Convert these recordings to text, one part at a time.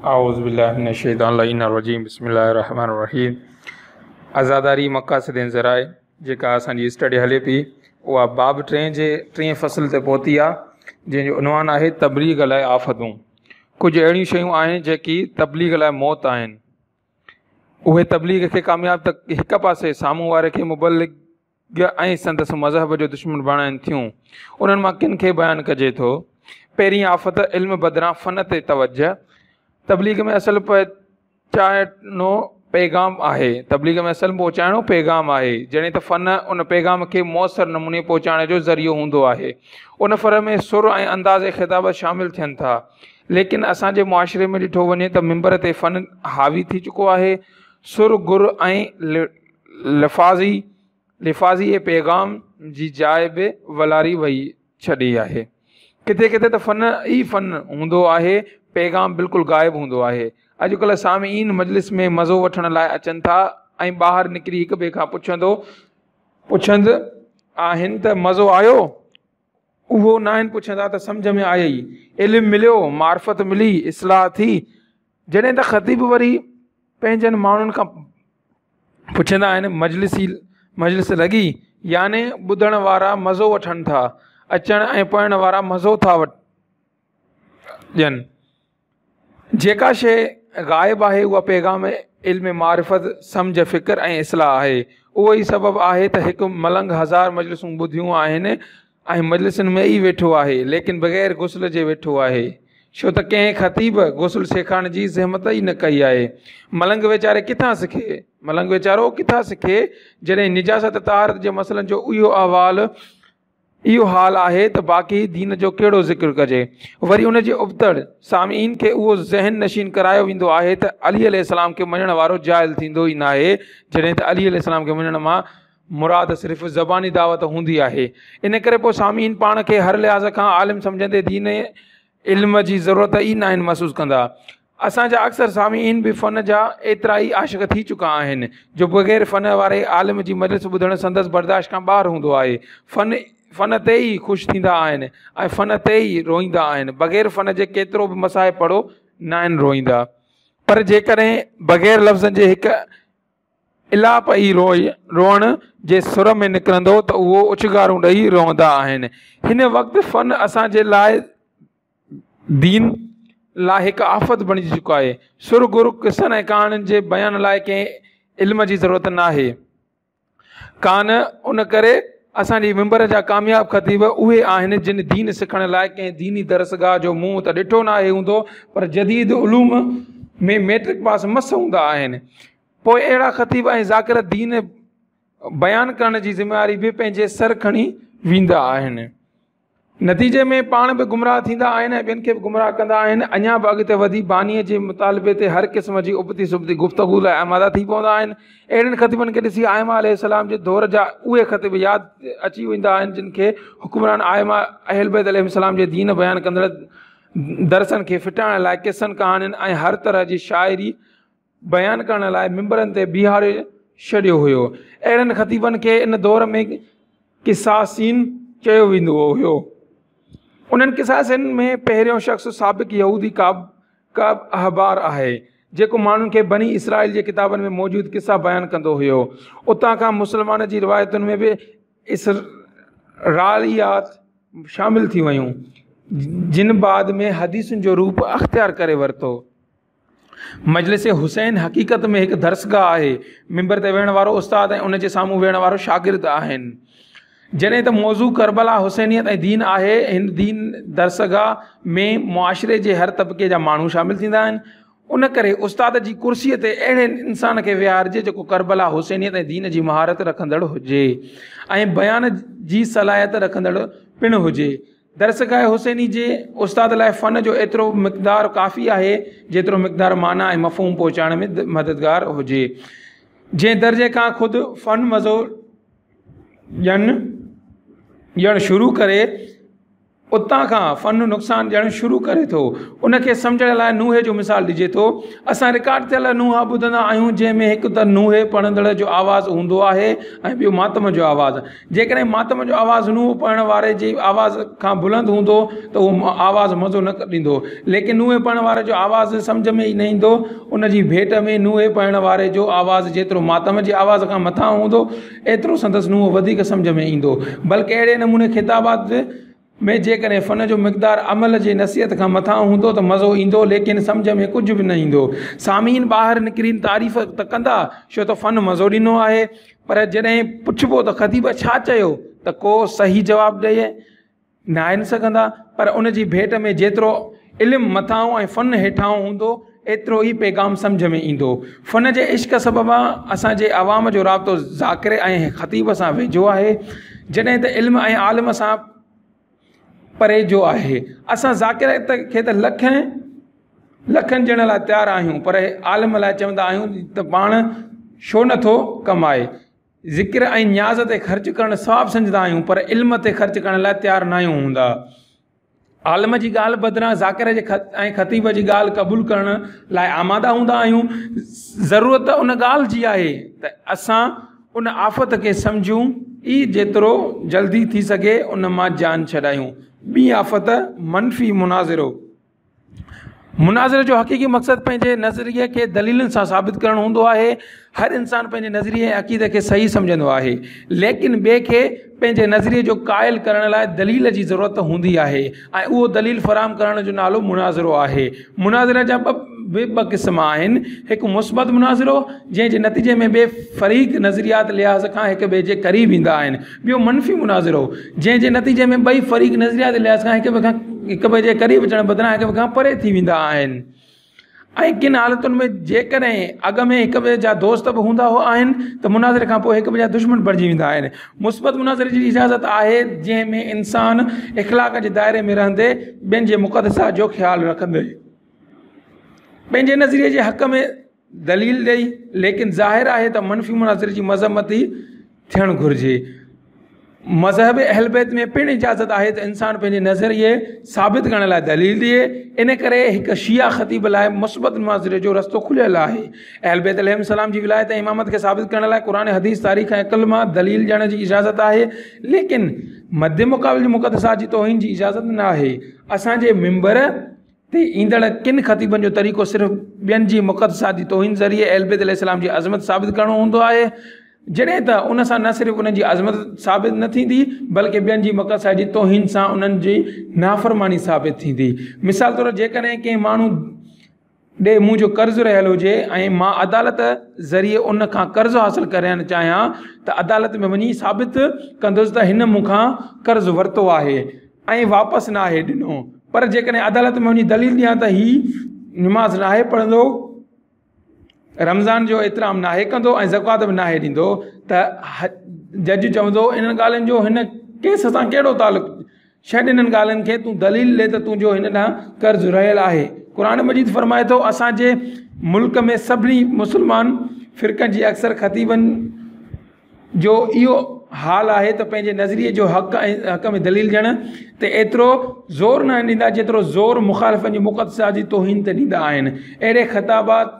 اعوذ بالله من الشيطان اللعين الرجيم بسم الله الرحمن الرحيم. عزاداري مقاصد ۽ ذرائع جيڪا اسان جي اسٽڊي هلي پئي اها باب ٽئين جي ٽئين فصل تي پهتي آ، جنهن جو عنوان آهي تبليغ لاء آفتون. ڪجهه اهڙيون شيون آهن جيڪي تبليغ لاء موت آهن. اهي تبليغ کي ڪامياب ته هڪ پاسي سامهون واري کي مبلغ ۽ سندس مذهب جو دشمن بڻائن ٿيون. انهن مان ڪن کي بيان ڪجي ٿو. پهرين آفت علم بدران فن تي توجه. تبليغ ۾ اصل پهچائڻو پيغام آهي. تبليغ ۾ اصل پهچائڻو پيغام آهي. جڏهن ته فن ان پيغام کي موثر نموني پهچائڻ جو ذريعو هوندو آهي. ان فن ۾ سر ۽ انداز خطابت شامل ٿين ٿا. ليڪن اسان جي معاشري ۾ ڏٺو وڃي ته منبر تي فن حاوي ٿي چڪو آهي. سر گر ۽ لفاظي لفاظي پيغام جي جاء به ولاري وئي ڇڏي آهي. ڪٿي ڪٿي ته فن ئي فن هوندو آهي، پيغام بلڪل غائب هوندو آهي. اڄڪلهه سامعين مجلس ۾ مزو وٺڻ لاء اچن ٿا ۽ ٻاهر نڪري هڪ ٻئي کان پڇندو پڇند آهن ته مزو آيو؟ اهو ناهن پڇندا ته سمجهه ۾ آئي، علم مليو، معرفت ملي، اصلاح ٿي. جڏهن ته خطيب وري پنهنجن ماڻهن کان پڇندا آهن مجلسي مجلس لڳي؟ يعني ٻڌڻ وارا مزو وٺن ٿا، اچڻ ۽ پڙهڻ وارا مزو ٿا ڏين. جيڪا شيء غائب آهي اها پيغام علم معرفت، سمجهه، فڪر ۽ اصلاح آهي. اهو ئي سبب آهي ته هڪ ملنگ هزار مجلسون ٻڌيون آهن ۽ مجلسن ۾ ئي ويٺو آهي، ليڪن بغير غسل جي ويٺو آهي. ڇو ته ڪنهن خطيب غسل سيکارڻ جي زحمت ئي نه ڪئي آهي. ملنگ ويچاري ڪٿان سکي؟ ملنگ ويچارو ڪٿان سکي جڏهن نجاست طهارت جي مسئلن جو اهو احوال اهو حال آهي ته باقي دين جو ڪهڙو ذڪر ڪجي. وري ان جي ابتڙ سامعين کي اهو ذهن نشين ڪرايو ويندو آهي ته علي عليه السلام کي مڃڻ وارو جاهل ٿيندو ئي ناهي، جڏهن ته علي عليه السلام کي مڃڻ مان مراد صرف زباني دعوت هوندي آهي. ان ڪري پوء سامعين پاڻ کي هر لحاظ کان عالم سمجهندي دين علم جي ضرورت ئي ناهن محسوس ڪندا. اسان جا اڪثر سامعين به فن جا ايترا ئي عاشق ٿي چڪا آهن جو بغير فن واري عالم جي مجلس ٻڌڻ سندس برداشت کان ٻاهر هوندو آهي. فن فن تي ئي خوش ٿيندا آهن ۽ فن تي ئي روئيندا آهن. بغير فن جي ڪيترو به مصاحب پڙهو ناهن روئيندا. پر جيڪڏهن بغير لفظن جي هڪ الاپ ئي روئڻ جي سر ۾ نڪرندو ته اهو اڇگارون ڏئي روئندا آهن. هن وقت فن اسان جي لاء دين لاء هڪ آفت بڻجي چڪو آهي. سر گر قصن ۽ ڪهاڻين جي بيان لاء ڪنهن علم جي ضرورت ناهي. ڪانه ان ڪري اسان جي منبر جا ڪامياب خطيب اهي آهن جن دين سکڻ لاء ڪنهن ديني درسگاهه جو منهن ته ڏٺو ناهي هوندو پر جديد علوم ۾ ميٽرڪ پاس مس هوندا آهن. پوء اهڙا خطيب ۽ ذاڪر دين بيان ڪرڻ جي ذميواري به پنهنجي سر کڻي ويندا آهن. نتيجي ۾ پاڻ به گمراهه ٿيندا آهن ۽ ٻين کي به گمراهه ڪندا آهن. اڃا به اڳتي وڌي بانيء جي مطالبي تي هر قسم جي ابتي سبتي گفتگو لاء آماده ٿي پوندا آهن. اهڙن خطيبن کي ڏسي ائمه عليه السلام جي دور جا اهي خطيب ياد اچي ويندا آهن جن کي حڪمران ائمه اهلبيت عليهم السلام جي دين بيان ڪندڙ درسن کي ڦٽائڻ لاء قصن ڪهاڻين ۽ هر طرح جي شاعري بيان ڪرڻ لاء منبرن تي بيهاري ڇڏيو هيو. اهڙن خطيبن کي ان دور ۾ قصاصين چيو ويندو هيو. انهن قصاصين ۾ پهريون شخص سابق يهودي ڪعب ڪعب احبار آهي، جيڪو ماڻهن کي بني اسرائيل جي ڪتابن ۾ موجود قصا بيان ڪندو هيو. اتان کان مسلمان جي روايتن ۾ به اسرائيليات شامل ٿي ويون، جن بعد ۾ حديثن جو روپ اختيار ڪري ورتو. مجلس حسين حقيقت ۾ هڪ درسگاهه آهي. منبر تي ويهڻ وارو استاد ۽ ان جي سامهون ويهڻ وارو شاگرد آهن. جڏهن ته موضوع ڪربلا، حسينيت ۽ دين آهي. هن دين درسگاهه ۾ معاشري جي هر طبقي جا ماڻهو شامل ٿيندا آهن. ان ڪري استاد جي ڪرسيء تي اهڙي انسان کي ويهارجي جيڪو ڪربلا، حسينيت ۽ دين جي مهارت رکندڙ هجي ۽ بيان جي صلاحيت رکندڙ پڻ هجي. درسگاهه حسيني جي استاد لاء فن جو ايترو مقدار ڪافي آهي، جيترو مقدار معنيٰ ۽ مفهوم پهچائڻ ۾ مددگار هجي. جنهن درجي کان خود فن مزو ڏيڻ شروع ڪري، اتان کان فن نقصان ڏيڻ شروع ڪري ٿو. ان کي سمجهڻ لاء نوحي جو مثال ڏجي ٿو. اسان رڪارڊ ٿيل نوحا ٻڌندا آهيون جنهن ۾ هڪ ته نوحي پڙهندڙ جو آواز هوندو آهي ۽ ٻيو ماتم جو آواز. جيڪڏهن ماتم جو آواز نوحو پڙهڻ واري جي آواز کان بلند هوندو ته اهو آواز مزو نه ڏيندو ليڪن نوحي پڙهڻ واري جو آواز سمجهه ۾ ئي نه ايندو. ان جي ڀيٽ ۾ نوحي پڙهڻ واري جو آواز جيترو ماتم جي آواز کان مٿانهون هوندو ايترو سندس نوحو وڌيڪ سمجهه ۾ ايندو. بلڪ اهڙي نموني خطابات ۾ جيڪڏهن فن جو مقدار عمل جي نصيحت کان مٿانهون هوندو ته مزو ايندو ليڪن سمجهه ۾ ڪجهه به نه ايندو. سامعين ٻاهر نڪري تعريف ته ڪندا ڇو ته فن مزو ڏنو آهي پر جڏهن پڇبو ته خطيب ڇا چيو ته ڪو صحيح جواب ڏئي ناهن سگهندا پر ان جي ڀيٽ ۾ جيترو علم مٿانهون ۽ فن هيٺانهون هوندو ايترو ئي پيغام سمجهه ۾ ايندو. فن جي عشق سببان اسان جي عوام جو رابطو ذاڪر ۽ خطيب سان ويجهو آهي جڏهن ته علم ۽ عالم سان پري جو آهي. اسان ذاڪر کي ته لکين لکن ڏيڻ لاء تيار آهيون پر عالم لاء چوندا آهيون ته پاڻ ڇو نٿو ڪمائي. ذڪر ۽ نياز تي خرچ ڪرڻ ثواب سمجهندا آهيون پر علم تي خرچ ڪرڻ لاء تيار ناهيون هوندا. عالم جي ڳالهه بدران ذاڪر جي ۽ خطيب جي ڳالهه قبول ڪرڻ لاء آماده هوندا آهيون. ضرورت ان ڳالهه جي آهي ته اسان ان آفت کي سمجهون ئي جيترو جلدي ٿي سگهي ان مان جان ڇڏايون. ٻي آفت منفي مناظرو. مناظري جو حقيقي مقصد پنهنجي نظريي کي دليلن سان ثابت ڪرڻ هوندو آهي. هر انسان پنهنجي نظريي ۽ عقيدي کي صحيح سمجهندو آهي، ليڪن ٻئي کي پنهنجي نظريي جو قائل ڪرڻ لاء دليل جي ضرورت هوندي آهي ۽ اهو دليل فراهم ڪرڻ جو نالو مناظرو آهي. مناظري جا به ٻه قسم آهن، هڪ مثبت مناظرو، جنهن جي نتيجي ۾ ٻئي فريق نظرياتي لحاظ کان هڪ ٻئي جي قريب ايندا آهن. ٻيو منفي مناظرو، جنهن جي نتيجي ۾ ٻئي فريق نظرياتي لحاظ کان هڪ ٻئي کان هڪ ٻئي جي قريب اچڻ بدران هڪ ٻئي کان پري ٿي ويندا آهن ۽ ڪن حالتن ۾ جيڪڏهن اڳ ۾ هڪ ٻئي جا دوست به هوندا آهن ته مناظري کان پوء هڪ ٻئي جا دشمن بڻجي ويندا آهن. مثبت مناظري جي اجازت آهي جنهن ۾ انسان اخلاق جي دائري ۾ رهندي ٻين جي مقدسات جو خيال رکندي پنهنجي نظريي جي حق ۾ دليل ڏئي، ليڪن ظاهر آهي ته منفي مناظري جي مذمت ئي ٿيڻ گهرجي. مذهب اهلبيت ۾ پڻ اجازت آهي ته انسان پنهنجي نظريي ثابت ڪرڻ لاء دليل ڏئي، ان ڪري هڪ شيعه خطيب لاء مثبت مناظري جو رستو کليل آهي. اهلبيت عليهم السلام جي ولايت ۽ امامت کي ثابت ڪرڻ لاء قرآن، حديث، تاريخ ۽ عقل مان دليل ڏيڻ جي اجازت آهي، ليڪن مد مقابل جي مقدسات جي توهين جي اجازت نه آهي. اسان جي منبر تي ايندڙ ڪن خطيبن جو طريقو صرف ٻين جي مقدسات جي توهين ذريعي اهلبيت عليه السلام جي عظمت ثابت ڪرڻو هوندو آهي، جڏهن ته ان سان نه صرف انهن جي عظمت ثابت نه ٿيندي بلڪه ٻين جي مقدسات جي توهين سان انهن جي نافرماني ثابت ٿيندي. مثال طور جيڪڏهن ڪنهن ماڻهو ڏي منهنجو قرض رهيل هجي ۽ مان عدالت ذريعي ان کان قرض حاصل ڪرڻ چاهيان ته عدالت ۾ وڃي ثابت ڪندس ته هن مون کان قرض ورتو آهي. ۽ واپس ناهي ڏنو پر جيڪڏهن عدالت ۾ وڃي دليل ڏيان ته هي نماز ناهي پڙهندو رمضان جو احترام ناهي ڪندو ۽ زڪوات به ناهي ڏيندو ته جج چوندو انهن ڳالهين جو هن ڪيس سان ڪهڙو تعلق ڇڏ انهن ڳالهين کي تون دليل ڏي ته تنهنجو هن ڏانهن قرض رهيل آهي قرآن مجيد فرمائي ٿو اسانجي ملڪ ۾ سڀني مسلمان فرقن جي اڪثر خطيبن جو اهو حال آهي ته پنهنجي نظريي جو حق ۽ حق ۾ دليل ڏيڻ تي ايترو زور ناهن ڏيندا جيترو زور مخالفن جي مقدسات جي توهين تي ڏيندا آهن. اهڙي خطابات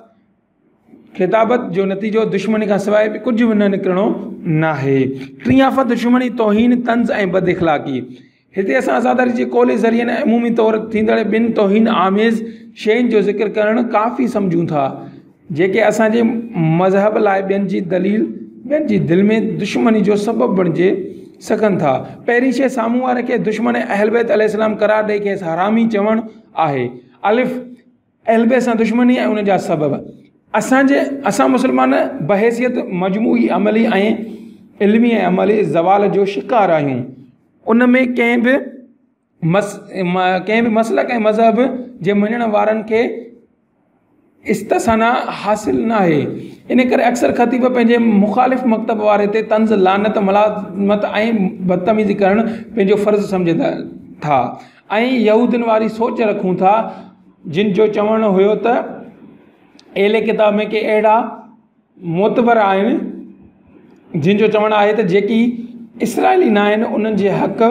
خطابت جو نتيجو دشمني کان سواء ٻيو ڪجهه به نه نڪرڻو ناهي. ٽين آفت دشمني، توهين، طنز ۽ بد اخلاقي. هتي اسان عزاداري جي قولي ذريعن ۽ عمومي طور ٿيندڙ ٻن توهين آميز شين جو ذڪر ڪرڻ ڪافي سمجهون ٿا، جيڪي اسان جي مذهب لاء ٻين جي دليل ٻين جي دل ۾ دشمني جو سبب بڻجي سگهن ٿا. پهرين شيء سامهون واري کي دشمن اهلبيت عليه السلام قرار ڏئي کيس حرامي چوڻ آهي. الف، اهلبيت سان دشمني ۽ ان جا سبب. اسان جي اسان مسلمان بحيثيت مجموعي عملي ۽ علمي ۽ عملي زوال جو شڪار آهيون. ان ۾ ڪنهن به مس ڪنهن به مسلڪ ۽ مذهب جي مڃڻ وارن کي استثنا حاصل ناهي. ان ڪري اڪثر خطيب پنهنجي مخالف مڪتب واري تي طنز، لعنت، ملامت ۽ بدتميزي ڪرڻ پنهنجو فرض سمجهن ٿا ۽ يهودين واري سوچ رکون ٿا جن جو چوڻ هيو ته اهل ڪتاب ۾ ڪي اهڙا معتبر آهن جن جو چوڻ آهي ته جيڪي اسرائيلي ناهن انهن جي حق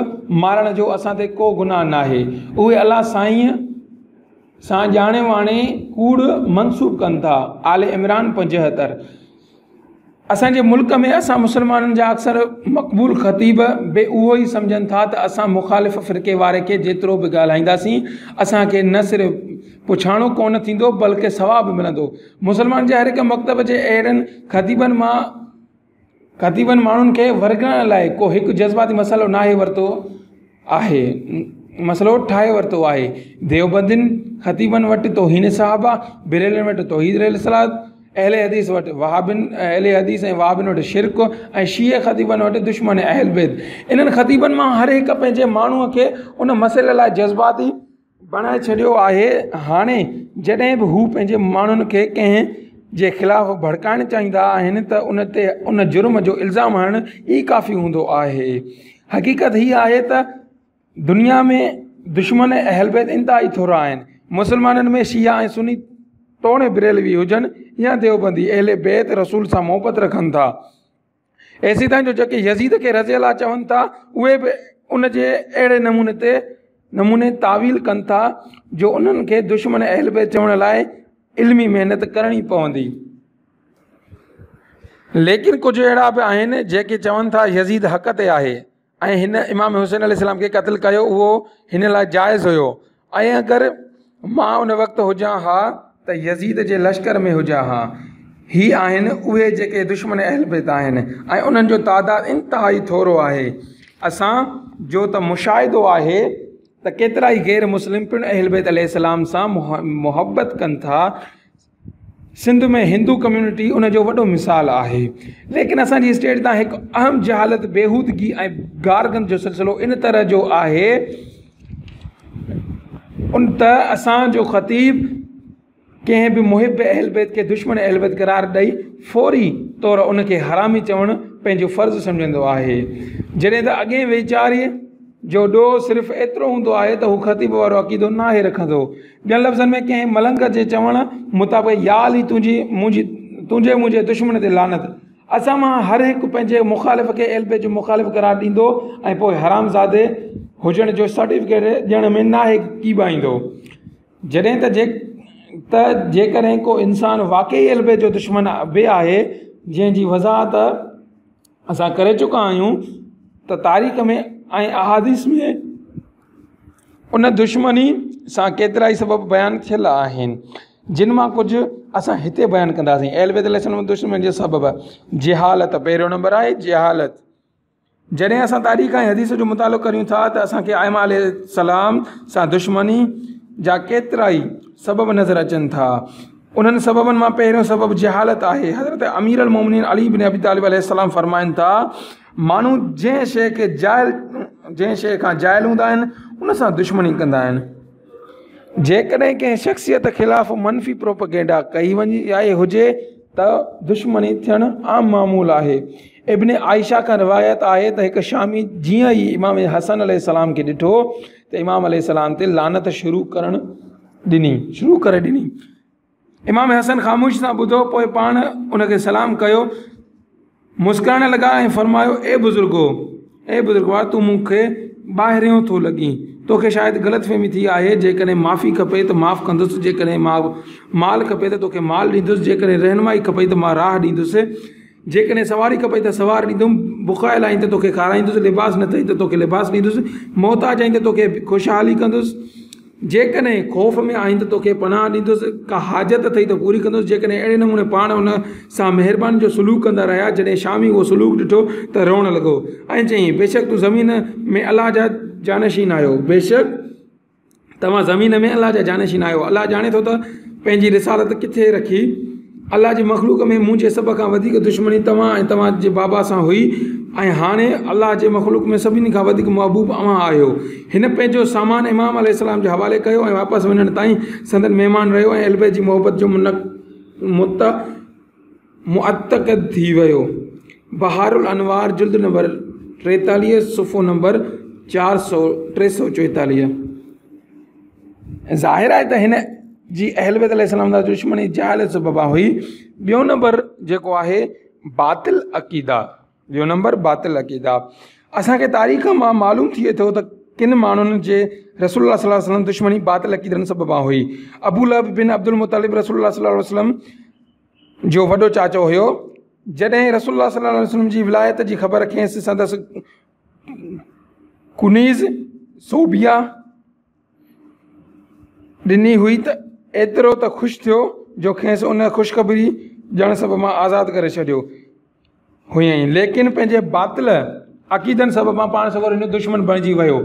مارڻ جو اسان تي ڪو گناهه ناهي. اهي الله سائينء سان ڄاڻي واڻي ڪوڙ منسوب ڪن ٿا. آل عمران 75. اسان جي ملڪ ۾ اسان مسلمانن جا اڪثر مقبول خطيب به اهو ئي سمجهن ٿا ته اسان مخالف فرقي واري کي جيترو به ڳالهائينداسين اسان کي نه صرف پڇاڻو ڪونه ٿيندو بلڪه ثواب به ملندو. مسلمانن جي هر هڪ مڪتب جي اهڙن خطيبن مان خطيبن ماڻهن کي ورغلائڻ لاء ڪو هڪ جذباتي مسئلو ناهي ورتو آهي مسئلو ٺاهي ورتو آهي. ديوبندين خطيبن وٽ توهين صحابه، بريلوين وٽ توحيد رسالت، اهل حديث وٽ وهابين اهل حديث ۽ وهابين وٽ شرڪ ۽ شيعي خطيبن وٽ دشمن اهل بيت. انهن خطيبن مان هر هڪ پنهنجي ماڻهوء کي ان مسئلي لاء جذباتي بڻائي ڇڏيو آهي. هاڻي جڏهن به هو پنهنجي ماڻهن کي ڪنهن جي خلاف ڀڙڪائڻ چاهيندا آهن ته ان تي ان جرم جو الزام هڻڻ ئي ڪافي هوندو آهي. حقيقت هي آهي ته دنيا ۾ دشمن اهل بيت انتهائي ٿورا آهن. مسلمانن ۾ شيعا ۽ سني توڻي بريلوي هجن يا ديوبندي اهل بيت رسول سان محبت رکن ٿا. ايسيتائين جو جيڪي يزيد کي رضي الله چون ٿا اهي به ان جي اهڙي نموني تي نموني تاويل ڪن ٿا جو انهن کي دشمن اهل بيت چوڻ لاء علمي محنت ڪرڻي پوندي. ليڪن ڪجهه اهڙا به آهن جيڪي چون ٿا يزيد حق تي آهي. ۽ هن امام حسين عليه السلام کي قتل ڪيو اهو هن لاء جائز هيو ۽ اگر مان ان وقت هجان ها ته يزيد جي لشڪر ۾ هجان ها. هي آهن اهي جيڪي دشمن اهل بيت آهن ۽ انهن جو تعداد انتهائي ٿورو آهي. اسان جو ته مشاهدو آهي ته ڪيترائي غير مسلم پڻ اهل بيت عليه السلام سان محبت ڪن ٿا. سنڌ ۾ هندو ڪميونٽي ان جو وڏو مثال آهي. ليڪن اسان جي اسٽيٽ تان هڪ اهم جهالت، بيهودگي ۽ گارگند جو سلسلو ان طرح جو آهي ان ته اسان جو خطيب ڪنهن به محب اهل بيت کي دشمن اهل بيت قرار ڏئي فوري طور ان کي حرامي چوڻ پنهنجو فرض سمجهندو آهي. جڏهن ته اڳئين ويچاري جو ڏوهه صرف ايترو هوندو آهي ته هو خطيب وارو عقيدو ناهي رکندو. ٻين لفظن ۾ ڪنهن ملنگ جي چوڻ مطابق يا علي تنهنجي منهنجي تنهنجي منهنجي دشمن تي لعنت. اسان مان هر هڪ پنهنجي مخالف کي اهل بيت جو مخالف قرار ڏيندو ۽ پوء حرامزادي هجڻ جو سرٽيفڪيٽ ڏيڻ ۾ ناهي ڪيٻائيندو. جڏهن ته ته جيڪڏهن ڪو انسان واقعي اهل بيت جو دشمن به آهي جنهن جي وضاحت اسان ڪري چڪا آهيون ته تاريخ ۾ ۽ احاديث ۾ ان دشمني سان ڪيترائي سبب بيان ٿيل آهن جن مان ڪجهه اسان هتي بيان ڪنداسين. اهل بيت عليه السلام دشمني جي سبب جهالت پهريون نمبر آهي جهالت. جڏهن اسان تاريخ ۽ حديث جو مطالعو ڪريون ٿا ته اسان کي ائمه عليه السلام سان دشمني جا ڪيترائي سبب نظر اچن ٿا. انهن سببن مان پهريون سبب جهالت آهي. حضرت امير المومنين علي بن ابي طالب عليه السلام فرمائن ٿا، ماڻهو جنهن شيء کي جاهل جنهن شيء کان جاهل هوندا آهن ان سان دشمني ڪندا آهن. جيڪڏهن ڪنهن شخصيت خلاف منفي پروپئگنڊا ڪئي وڃي هجي ته دشمني ٿيڻ عام معمول آهي. ابن عائشه کان روايت آهي ته هڪ شامي جيئن ئي امام حسن عليه السلام کي ڏٺو ته امام عليه السلام تي لعنت شروع ڪرڻ ڏني شروع ڪري ڏني. امام حسن خاموشي سان ٻڌو پوء پاڻ ان کي سلام ڪيو، مسڪرائڻ لڳا ۽ فرمايو اي بزرگو! اي بزرگوار! تون مون کي ٻاهريون ٿو لڳين، توکي شايد غلط فهمي ٿي آهي، جيڪڏهن معافي کپي ته معاف ڪندس، جيڪڏهن مال کپي ته توکي مال ڏيندس، جيڪڏهن رهنمائي کپئي ته مان راهه ڏيندس، جيڪڏهن سواري کپئي ته سوار ڏيندم، بکايل آهين ته توکي کارائيندس، لباس نه اٿئي ته توکي لباس ڏيندس، محتاج آهين ته توکي خوشحالي ڪندس، جيڪڏهن خوف ۾ آهين ته توکي پناهه ڏيندس، ڪا حاجت اٿئي ته پوري ڪندس، جيڪڏهن اهڙي نموني پاڻ ان سان مهرباني جو سلوڪ ڪندا رهيا، جڏهن شامي اهو سلوڪ ڏٺو ته روئڻ لڳو ۽ چيائين، بيشڪ تون زمين ۾ الله جا جانشين آهيو، بيشڪ. توهان زمين ۾ الله جا جانشين آهيو. الله ڄاڻي ٿو ته پنهنجي رسالت ڪٿي رکي. الله جي مخلوق ۾ منهنجي سڀ کان وڌيڪ دشمني توهان ۽ توهان جي بابا سان هئي ۽ هاڻي الله جي مخلوق ۾ سڀني کان وڌيڪ محبوب اوهان آهيو. هن پنهنجو سامان امام عليه السلام جي حوالي ڪيو ۽ واپس وڃڻ تائين سندن مهمان رهيو ۽ اهلبيت جي محبت جو معتقد ٿي ويو. بحار الانوار جلد نمبر 43 صفحو نمبر 344. ظاهر آهي ته هن جي اهل بيت عليه السلام سان دشمني جهالت سببان هئي. ٻيو نمبر جيڪو آهي باطل عقيدا. ٻيو نمبر باطل عقيدا. اسان کي تاريخ مان معلوم ٿئي ٿو ته ڪن ماڻهن جي رسول الله صلي الله عليه وسلم دشمني باطل عقيدن سببان هئي. ابو لهب بن عبدالمطلب رسول الله صلي الله عليه وسلم جو وڏو چاچو هيو. جڏهن رسول الله صلي الله عليه وسلم جي ولايت جي خبر کيس سندس ڪنيز ثوبيه ڏني هئي ته ايترو ته خوش ٿيو جو کيس ان خوشخبري ڏيڻ سببان آزاد ڪري ڇڏيو هئائين ليڪن پنهنجي باطل عقيدن سببان پاڻ سڳورن جو دشمن بڻجي ويو.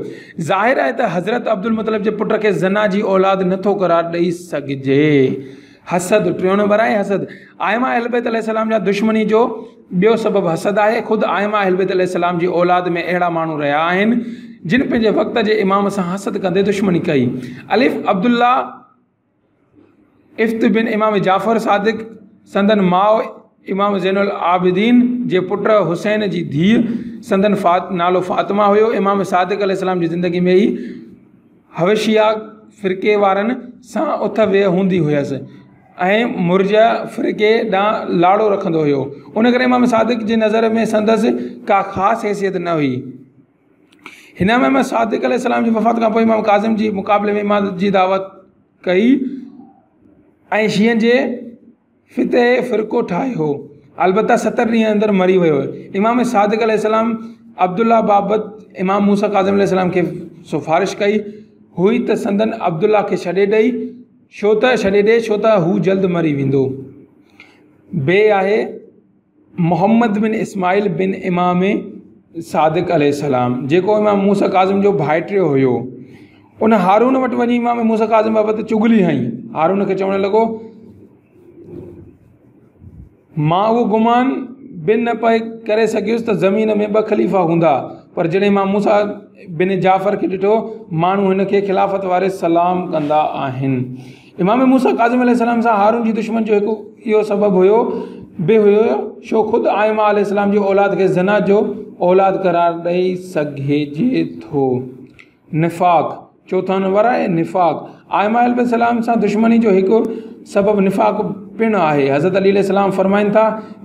ظاهر آهي ته حضرت عبدالمطلب جي پٽ کي زنا جي اولاد نه ٿو قرار ڏئي سگهجي. حسد، ٽيون نمبر آهي حسد. ائمه اهل بيت عليه السلام جا دشمني جو ٻيو سبب حسد آهي. خود ائمه اهل بيت عليه السلام جي اولاد ۾ اهڙا ماڻهو رهيا آهن جن پنهنجي وقت جي امام سان حسد ڪندي دشمني ڪئي. الف، عبدالله افت بن امام جعفر صادق، سندن ماء امام زين العابدين جي پٽ حسين جي ڌيء، سندن نالو فاطمه هيو. امام صادق عليه السلام جي زندگي ۾ ئي حبشيه فرقي وارن سان اٿ ويهه هوندي هيس ۽ مرجئه فرقي ڏانهن لاڙو رکندو هيو. ان ڪري امام صادق جي نظر ۾ سندس ڪا خاص حيثيت نه هئي. هن امام صادق عليه السلام جي وفات کان پوء امام ڪاظم جي مقابلي ۾ امامت جي دعويٰ ڪئي ۽ شيعن جي فتح فرقو ٺاهيو البته 70 ڏينهن اندر مري ويو. امام صادق عليه السلام عبدالله بابت امام موسيٰ ڪاظم عليه السلام کي سفارش ڪئي هئي ته سندن عبدالله کي ڇڏي ڏئي ڇو ته ڇڏي ڏي ڇو ته هو جلد مري ويندو. بي آهي محمد بن اسماعيل بن امام صادق عليه السلام جيڪو امام موسيٰ ڪاظم جو ڀائٽيو هيو ان هارون وٽ وڃي امام موسيٰ ڪاظم بابت چغلي هنئي. هارون کي چوڻ لڳو مان اهو گمان به نه پئي ڪري سگهيس ته زمين ۾ ٻه خليفا هوندا پر جڏهن امام موسيٰ بن جعفر کي ڏٺو ماڻهو هن کي خلافت واري سلام ڪندا آهن. امام موسيٰ ڪاظم عليه السلام سان هارون جي دشمني جو هڪ اهو سبب هيو به هيو ڇو خود ائمه عليه السلام جي اولاد کي زنا جو اولاد قرار ڏئي سگهجي ٿو. نفاق، چوٿون نمبر آهي نفاق. ائمه عليه السلام سان دشمني جو هڪ سبب نفاق پڻ آهي. حضرت علي عليه السلام فرمائن ٿا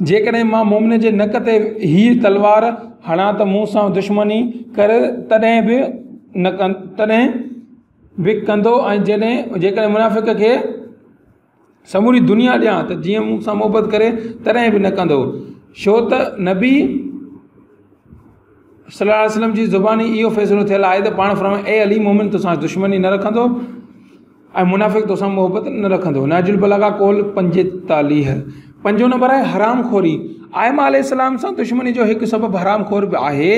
جيڪڏهن مان مومن جي نڪ تي هيء تلوار هڻان ته مون سان دشمني ڪري تڏهن به نه تڏهن به ڪندو ۽ جڏهن جيڪڏهن منافق کي سموري دنيا ڏيان ته جيئن مون سان محبت ڪري تڏهن به نه ڪندو ڇو ته نبي صلي الله عليه وسلم جي زباني اهو فيصلو ٿيل آهي ته پاڻ فرمايو اي علي مومن توسان دشمني نه رکندو ۽ منافق توسان محبت نه رکندو. نهج البلاغه قول 45. پنجون نمبر آهي حرام خوري. ائمه عليه السلام سان دشمني جو هڪ سبب حرام خور به آهي.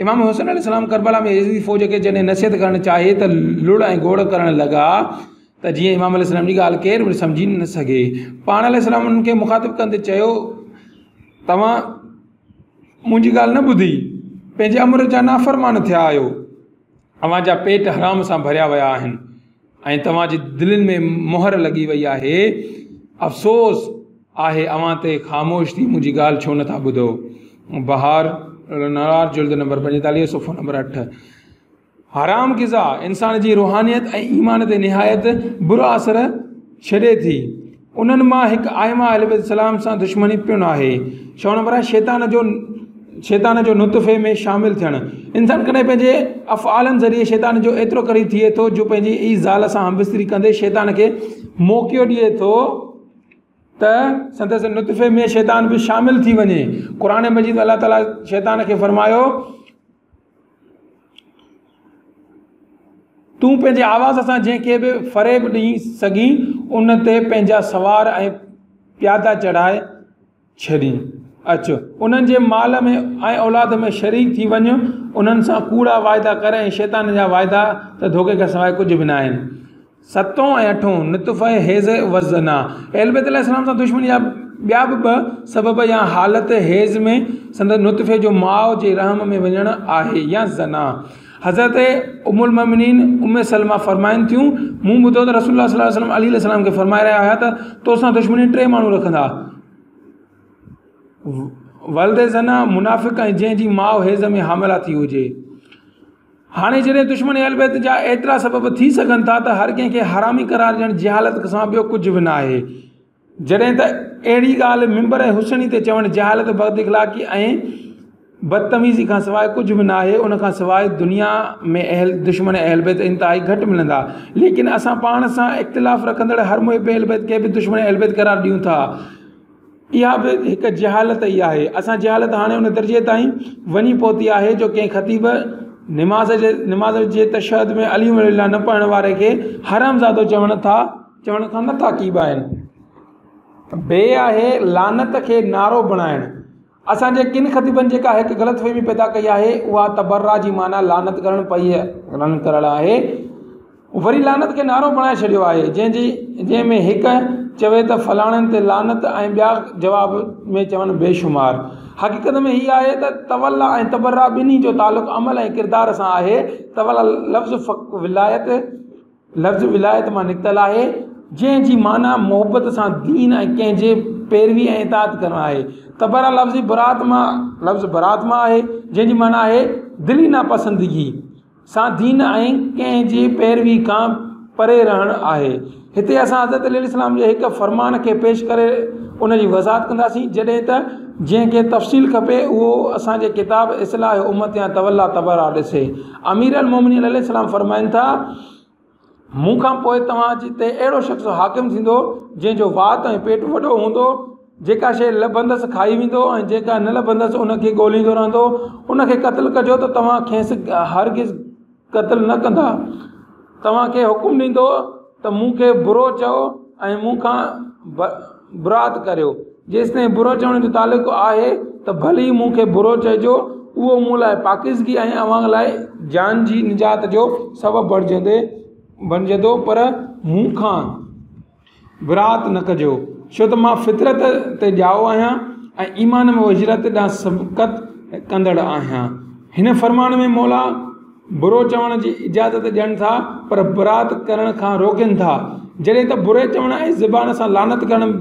امام حسين عليه السلام ڪربلا ۾ يزيدي فوج کي جڏهن نصيحت ڪرڻ چاهي ته لڙ ۽ گوڙ ڪرڻ لڳا ته جيئن امام عليه السلام جي ڳالهه ڪير به سمجهي نه سگهي. پاڻ عليه السلام انهن کي مخاطب ڪندي چيو توهان منهنجي ڳالهه نه ٻڌي پنهنجي امر جا نافرمان ٿيا آهيو. اوهان جا پيٽ حرام سان ڀريا ويا آهن ۽ توهان جي دلين ۾ مهر لڳي وئي آهي. افسوس آهي اوهان تي خاموش ٿي منهنجي ڳالهه ڇو نٿا ٻڌو. بحار الانوار جلد نمبر 45 صفحو نمبر 8. حرام غذا انسان جي روحانيت ۽ ايمان تي نهايت برو اثر ڇڏي ٿي. انهن مان هڪ ائمه اهل بيت السلام سان دشمني پڻ آهي. ڇهون نمبر آهي شيطان جو شيطان جو نطفي ۾ شامل ٿيڻ. انسان ڪڏهن پنهنجي افعالن ذريعي شيطان جو ايترو قريب ٿئي ٿو جو پنهنجي ئي زال سان همبستري ڪندي شيطان کي موقعو ڏئي ٿو ته سندس نطفي ۾ شيطان به شامل ٿي وڃي. قرآن مجيد ۾ الله تعالي شيطان کي فرمايو. تون پنهنجي آواز سان جنهن کي به فريب ڏئي سگهين ان تي پنهنجا سوار ۽ پيادا چڙهائي ڇڏين. اچ، انهن جي مال ۾ ۽ اولاد ۾ شريڪ ٿي وڃ، انهن سان ڪوڙا واعدا ڪر ۽ شيطان جا واعدا ته ڌوڪي کان سواء ڪجهه به ناهن. ستون ۽ اٺون، نطفه حيض و زنا، اهل بيت عليه السلام سان دشمني جا ٻيا به ٻه سبب يا حالت حيض ۾ سندس نطفي جو ماء جي رحم ۾ وڃڻ آهي يا زنا. حضرت ام المؤمنين ام سلمه فرمائن ٿيون، مون ٻڌو ته رسول الله صلي الله عليه وسلم علي عليه السلام کي فرمائي رهيا هيا ته توسان دشمني ٽي ماڻهو رکندا، ولد زنا، منافق ۽ جنهن جي ماء حيض ۾ حامله ٿي هجي. هاڻي جڏهن دشمن اهل بيت جا ايترا سبب ٿي سگهن ٿا ته هر ڪنهن کي حرامي قرار ڏيڻ جهالت کان ٻيو ڪجهه به ناهي. جڏهن ته اهڙي ڳالهه منبر حسيني تي چوڻ جهالت، بد اخلاقي ۽ بدتميزي کان سواء ڪجهه به ناهي، ان کان سواء دنيا ۾ اهل دشمن اهل بيت انتهائي گهٽ ملندا، ليڪن اسان پاڻ سان اختلاف رکندڙ هر محب اهل بيت کي به دشمن اهل بيت قرار ڏيون ٿا، اها به هڪ جهالت ئي آهي، اسان جهالت هاڻي ان درجي تائين وڃي پهتي آهي جو ڪنهن خطيب نماز جي نماز جي تشهد ۾ علي ولي الله نه پڙهڻ واري کي حرامزادو چوڻ ٿا چوڻ کان نٿا ڪيٻائن. بي آهي لعنت کي نعرو بڻائڻ. اسان جي ڪن خطيبن جيڪا هڪ غلط فهمي پيدا ڪئي آهي اها تبرا جي معنيٰ لعنت ڪرڻ پئي رن ڪرڻ آهي وري لعنت کي نعرو بڻائي ڇڏيو آهي جنهن جي جنهن ۾ هڪ چوي ته فلاڻن تي لعنت ۽ ٻيا جواب ۾ چون بيشمار حقيقت ۾ هي آهي ته تولا ۽ تبرا ٻنهي جو تعلق عمل ۽ ڪردار سان آهي تولا لفظ ولايت لفظ ولايت مان نڪتل آهي، جنهن جي معنيٰ محبت سان دين ۽ ڪنهن جي پيروي ۽ اطاعت ڪرڻ آهي. تبرا لفظ برات مان لفظ برات مان آهي، جنهن جي معنيٰ آهي دلي ناپسندگي سان دين ۽ ڪنهن جي پيروي کان پري رهڻ آهي. هتي اسان حضرت علي عليه السلام جي هڪ فرمان کي پيش ڪري ان جي وضاحت ڪنداسين، جڏهن ته جنهن کي تفصيل کپي اهو اسان جي ڪتاب اصلاح امت يا تولا تبرا ڏسي. امير المومنين عليه السلام فرمائن ٿا، مون کان پوء توهان جي تي اهڙو شخص حاڪم ٿيندو، جنهن جو وات ۽ پيٽ وڏو هوندو، جيڪا شيء لڀندس کائي ويندو ۽ جيڪا نه لڀندس ان کي ڳوليندو رهندو، ان کي قتل ڪجو ته توهان کيس هرگز قتل نه ڪندا، توهان کي حڪم ڏيندو ته مون کي برو چئو ۽ مون کان برات ڪريو، جيستائين برو چوڻ جو تعلق آهي ته ڀلي مون کي برو چئجو، اهو مون لاء پاڪيزگي ۽ اوهان لاء جان جي نجات جو سبب بڻجندو پر مون کان برات نه ڪجو، ڇو ته مان فطرت تي ڄائو آهيان ۽ ايمان ۾ هجرت ڏانهن سبقت ڪندڙ آهيان. هن فرمان ۾ مولا برو چوڻ جي اجازت ڏين ٿا پر برات ڪرڻ کان روڪين ٿا. جڏهن ته بري چوڻ ۽ زبان سان لعنت ڪرڻ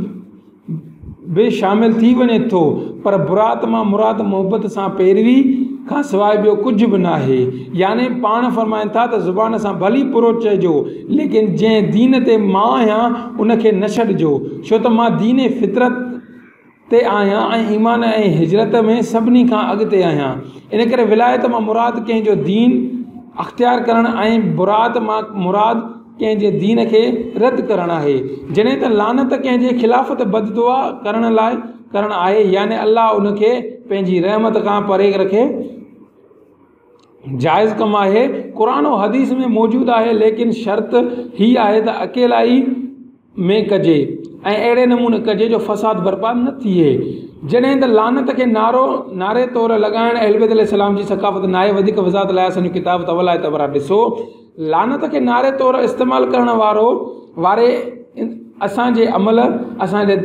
به شامل ٿي وڃي ٿو پر برات مان مراد محبت سان پيروي کان سواء ٻيو ڪجهه به ناهي. يعني پاڻ فرمائن ٿا ته زبان سان ڀلي برو چئجو ليڪن جنهن دين تي مان آهيان ان کي نه ڇڏجو ڇو ته مان دين فطرت تي آهيان ۽ ايمان ۽ هجرت ۾ سڀني کان اڳتي آهيان. ان ڪري ولايت مان مراد ڪنهن جو دين اختيار ڪرڻ ۽ برات مان مراد ڪنهن جي دين کي رد ڪرڻ آهي. جڏهن ته لعنت ڪنهن جي خلاف بد دعا ڪرڻ لاء ڪرڻ آهي يعني الله ان کي پنهنجي رحمت کان پري رکي جائز ڪم آهي. قرآن و حديث ۾ موجود آهي ليڪن شرط هي آهي ته اڪيلائي ۾ ڪجي ۽ اهڙي نموني ڪجي جو فساد برپا نه ٿئي. جڏهن ته لعنت کي نعرو نعري طور لڳائڻ اهلبيت عليه السلام جي ثقافت ناهي وڌيڪ وضاحت لاء اسان جو ڪتاب تولاء تبرا ڏسو. لعنت کي نعري طور استعمال ڪرڻ وارو واري اسان جي عمل اسان جي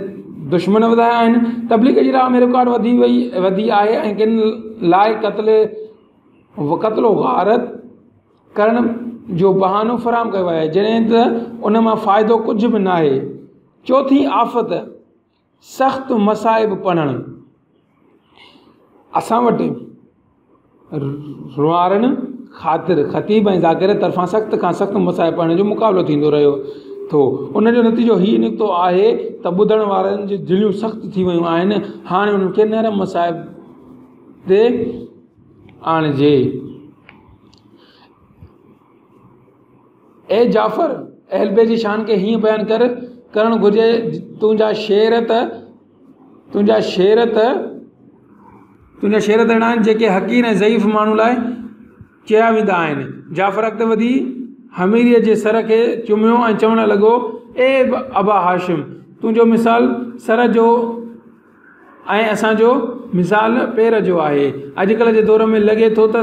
دشمن وڌايا آهن. تبليغ جي راهه ۾ رڪاوٽ وڌي وئي وڌي آهي ۽ ڪن لاء قتل قتل و غارت ڪرڻ جو بهانو فراهم ڪيو ويو آهي جڏهن ته ان مان فائدو ڪجهه به ناهي. چوٿين آفت سخت مصائب پڙهڻ. اسان وٽ روئارڻ خاطر خطيب ۽ ذاڪر طرفان سخت کان سخت مصائب پڙهڻ جو مقابلو ٿيندو رهيو ٿو ان جو نتيجو هي نڪتو آهي ته ٻڌڻ وارن جون دليون سخت ٿي ويون آهن هاڻي انهن کي نرم مصائب تي آڻجي. اي جعفر! اهل بيت جي شان کي هيئن بيان ڪر ڪرڻ گهرجي تنهنجا شعر ته تنهنجا شعر ته تنهنجا شعر ته اهڙا آهن جيڪي حقير ۽ ضعيف ماڻهو لاء چيا ويندا آهن. جعفر اڳتي وڌي حميريء جي سر کي چميو ۽ چوڻ لڳو، اي ابا هاشم! تنهنجو مثال سر جو ۽ اسان جو مثال پير جو آهي. اڄڪلهه جي دور ۾ لڳي ٿو ته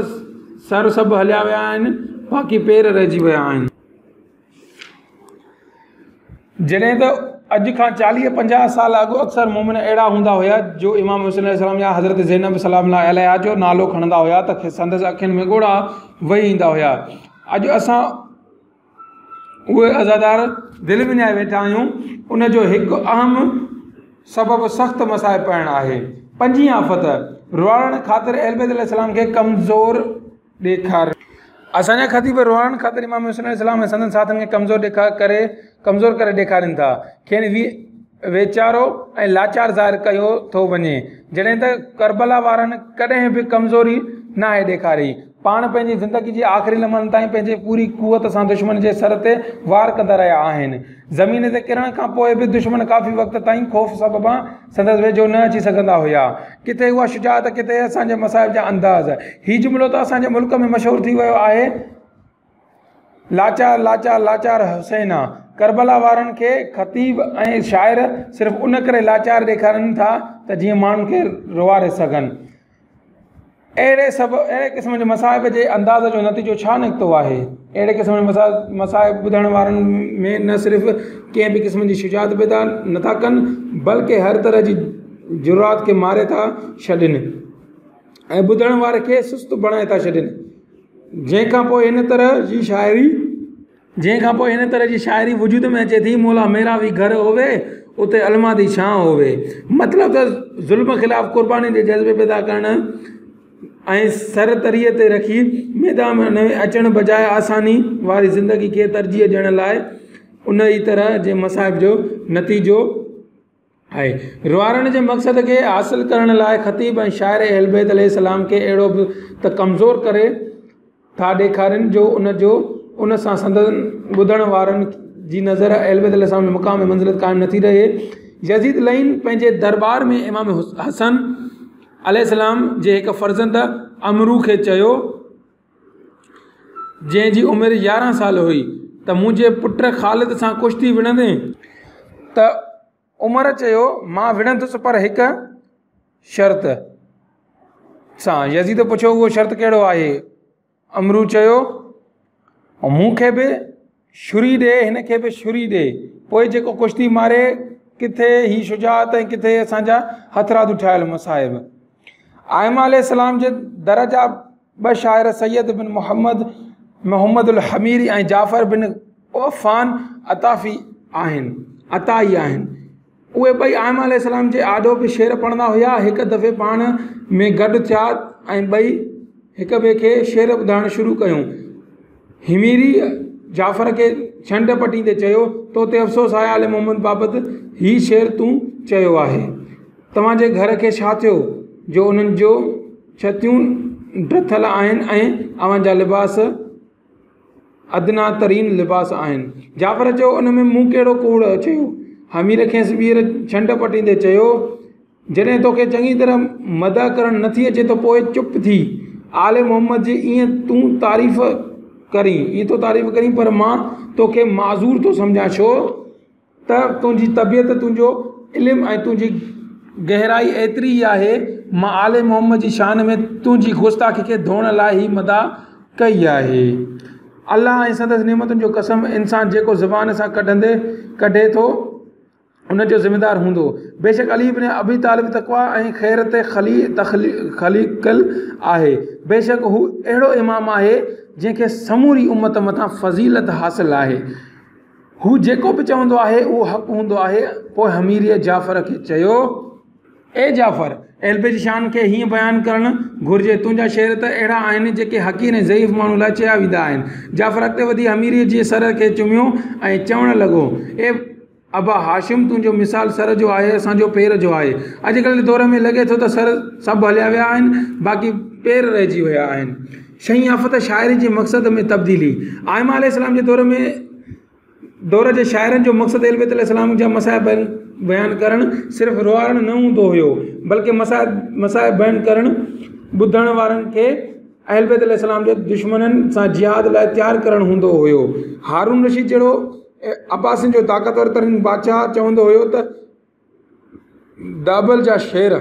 سر سڀ هليا ويا آهن باقي پير رهجي ويا آهن. جڏهن ته اڄ کان چاليهه پنجاهه سال اڳ اڪثر مومن اهڙا هوندا هيا جو امام حسين عليه السلام يا حضرت زينب سلام الله عليها جو نالو کڻندا هيا ته سندس اکين ۾ ڳوڙها وهي ايندا هيا. اڄ اسان اهي عزادار دل وڃائي ويٺا آهيون ان جو هڪ اهم سبب سخت مصائب پڙهڻ آهي. پنجين آفت، روئارڻ خاطر اهلبيت عليه السلام کي ڪمزور ڏيکارڻ. اسان جا خطيب روئارڻ خاطر امام حسين عليه السلام ۽ سندن ساٿين کي ڪمزور ڏيکار ڪري ڪمزور ڪري ڏيکارين ٿا. کين ويچارو ۽ لاچار ظاهر ڪيو ٿو وڃي، جڏهن ته ڪربلا وارن ڪڏهن به ڪمزوري ناهي ڏيکاري. پاڻ پنهنجي زندگي جي آخري لمحن تائين پنهنجي پوري قوت سان دشمن جي سر تي وار ڪندا رهيا آهن. زمين تي ڪرڻ کان پوء به دشمن ڪافي وقت تائين خوف سببان سندس ويجهو نه اچي سگهندا هيا. ڪٿي اها شجاعت ڪٿي اسان جي مصائب جا انداز. هي جملو ته اسان جي ملڪ ۾ مشهور ٿي ويو آهي. لاچار لاچار لاچار حسين آ. ڪربلا وارن کي خطيب ۽ شاعر صرف ان ڪري لاچار ڏيکارين ٿا ته جيئن ماڻهن کي روئاري سگهن. اهڙي سڀ اهڙي قسم جي مصائب جي انداز جو نتيجو ڇا نڪتو آهي؟ اهڙي قسم جي مصائب ٻڌڻ وارن ۾ نه صرف ڪنهن به قسم جي شجاعت پيدا نٿا ڪن بلڪه هر طرح جي جرات کي ماري ٿا ڇڏين ۽ ٻڌڻ واري کي سست بڻائي ٿا ڇڏين. جنهن کان پوء هن طرح جي شاعري. جنهن کان پوء هن طرح جي شاعري وجود ۾ اچي ٿي، مولا ميرا وي گهر هووي، اتي علما the ڇانء هووي. مطلب ته ظلم خلاف قرباني جي جذبي پيدا ڪرڻ ۽ سر تريء تي رکي ميدان ۾ اچڻ بجاء آساني واري زندگي کي ترجيح ڏيڻ لاء ان ئي طرح جي مصائب جو نتيجو آهي. روئارڻ جي مقصد کي حاصل ڪرڻ لاء خطيب ۽ شاعر اهلبيت عليه السلام کي اهڙو به ته ڪمزور ڪري ٿا ڏيکارين جو ان جو ان سان سندن ٻڌڻ وارن جي نظر اهلبيت عليه السلام جي مقام ۽ منزلت قائم نٿي رهي. يزيد لعين پنهنجي درٻار ۾ امام حسن عليه السلام جي هڪ فرزند عمرو کي چيو، جنهن جي عمر 11 سال هئي ته منهنجي پٽ خالد سان ڪشتي وڙهندين؟ ته عمرو چيو، مان وڙهندس پر هڪ شرط سان. يزيد پڇيو، اهو شرط ڪهڙو آهي؟ عمرو چيو، مون کي به ڇري ڏي، هن کي به ڇري ڏي، پوء جيڪو ڪشتي ماري، ڪٿي هي شجاعت ۽ ڪٿي اسان جا هٿرادو ٺاهيل مصائب. ائمه عليه السلام جي در جا ٻه شاعر سيد بن محمد محمد الحميري ۽ جعفر بن عفان عطافي آهن عطائي آهن. اهي ٻئي ائمه عليه السلام جي آڏو به شعر پڙهندا هيا. هڪ دفعي پاڻ ۾ گڏ ٿيا ۽ ٻئي هڪ ٻئي کي شعر ٻڌائڻ شروع ڪيون. حميري جعفر کي ڇنڊ پٽيندي چيو، تو تي افسوس آهي آل محمد بابت هي شعر تون چيو آهي. توهان جي گهر کي ڇا ٿيو جو انهن جون ڇتيون ڊٿل آهن ۽ اوهان جا لباس ادنيٰ ترين لباس آهن. جعفر چيو، ان ۾ مون ڪهڙو ڪوڙ چيو؟ حميري کيس ٻيهر ڇنڊ پٽيندي چيو، جڏهن توکي چڱي طرح مدح ڪرڻ نٿي اچي ته پوء چپ ٿي. آل محمد جي ائين تون تعريف ڪرين، ائين ٿو تعريف ڪرين پر مان توکي معذور ٿو سمجهان ڇو ته تنهنجي طبيعت، تنهنجو علم ۽ تنهنجي گهرائي ايتري ئي آهي. مان آل محمد جي شان ۾ تنهنجي گستاخي کي ڌوئڻ لاء هي مدح ڪئي آهي. الله ۽ سندس نعمتن جو قسم انسان جيڪو زبان سان ڪڍندي ڪڍي ٿو ان جو ذميدار هوندو. بيشڪ علي بن ابي طالب تقويٰ ۽ خير تي خليقل آهي. بيشڪ هو اهڙو امام آهي جنهن کي سموري امت مٿان فضيلت حاصل آهي. هو جيڪو به چوندو آهي اهو حق هوندو آهي. پوء حميريء جعفر کي چيو. اي جعفر! اهلبيت جي شان کي هيئن بيان ڪرڻ گهرجي، تنهنجا شعر ته اهڙا آهن جيڪي حقير ۽ ضعيف ماڻهو لاء چيا ويندا آهن. جعفر اڳتي وڌي حميريء جي سر کي چميو ۽ چوڻ لڳو، اي ابا هاشم! تنهنجو مثال سر جو آهي، اسان جو پير جو آهي. اڄڪلهه جي دور ۾ لڳي ٿو ته سر سڀ هليا ويا آهن، باقي پير رهجي ويا آهن. ڇهين آفت، شاعري جي مقصد ۾ تبديلي. ائمه عليه السلام جي دور ۾ دور جي شاعرن جو مقصد اهل بيت عليه السلام جا مصائب بيان ڪرڻ صرف روئارڻ نه هوندو هيو بلڪه مصائب مصائب بيان ڪرڻ ٻڌڻ وارن کي اهل بيت عليه السلام جي دشمنن سان جهاد لاء تيار ڪرڻ هوندو هيو. هارون رشيد جهڙو عباسين جو طاقتور ترين بادشاهه چوندو هيو ته دابل جا شعر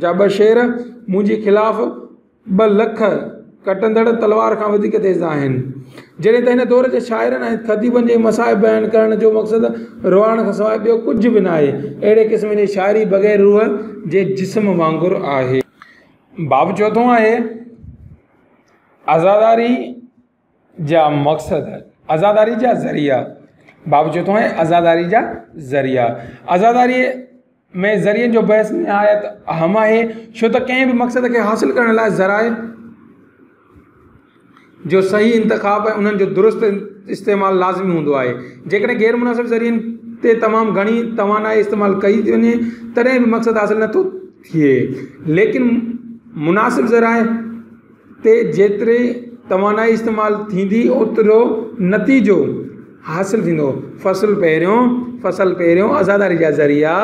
جا ٻه شعر منهنجي خلاف 2 لک ڪٽندڙ تلوار کان وڌيڪ تيز آهن. جڏهن ته هن دور جي شاعرن ۽ خطيبن جي مصائب بيان ڪرڻ جو مقصد روئارڻ کان سواء ٻيو ڪجهه به ناهي. اهڙي قسم جي شاعري بغير روح جي جسم وانگر آهي. باب چوٿون آهي عزاداري جا مقصد، عزاداري جا ذريعا. باب چوٿون آهي عزاداري جا ذريعا. عزاداري ۾ ذريعن جو بحث نهايت اهم آهي، ڇو ته ڪنهن به مقصد کي حاصل ڪرڻ لاء ذرائع جو صحيح انتخاب ۽ انهن جو درست استعمال لازمي هوندو آهي. جيڪڏهن غير مناسب ذريعن تي تمام گهڻي توانائي استعمال ڪئي ٿي وڃي تڏهن به مقصد حاصل نٿو ٿئي. ليڪن مناسب ذرائع تي جيتري توانائي استعمال ٿيندي اوترو نتيجو حاصل ٿيندو. فصل پهريون، فصل پهريون، عزاداري جا ذريعا،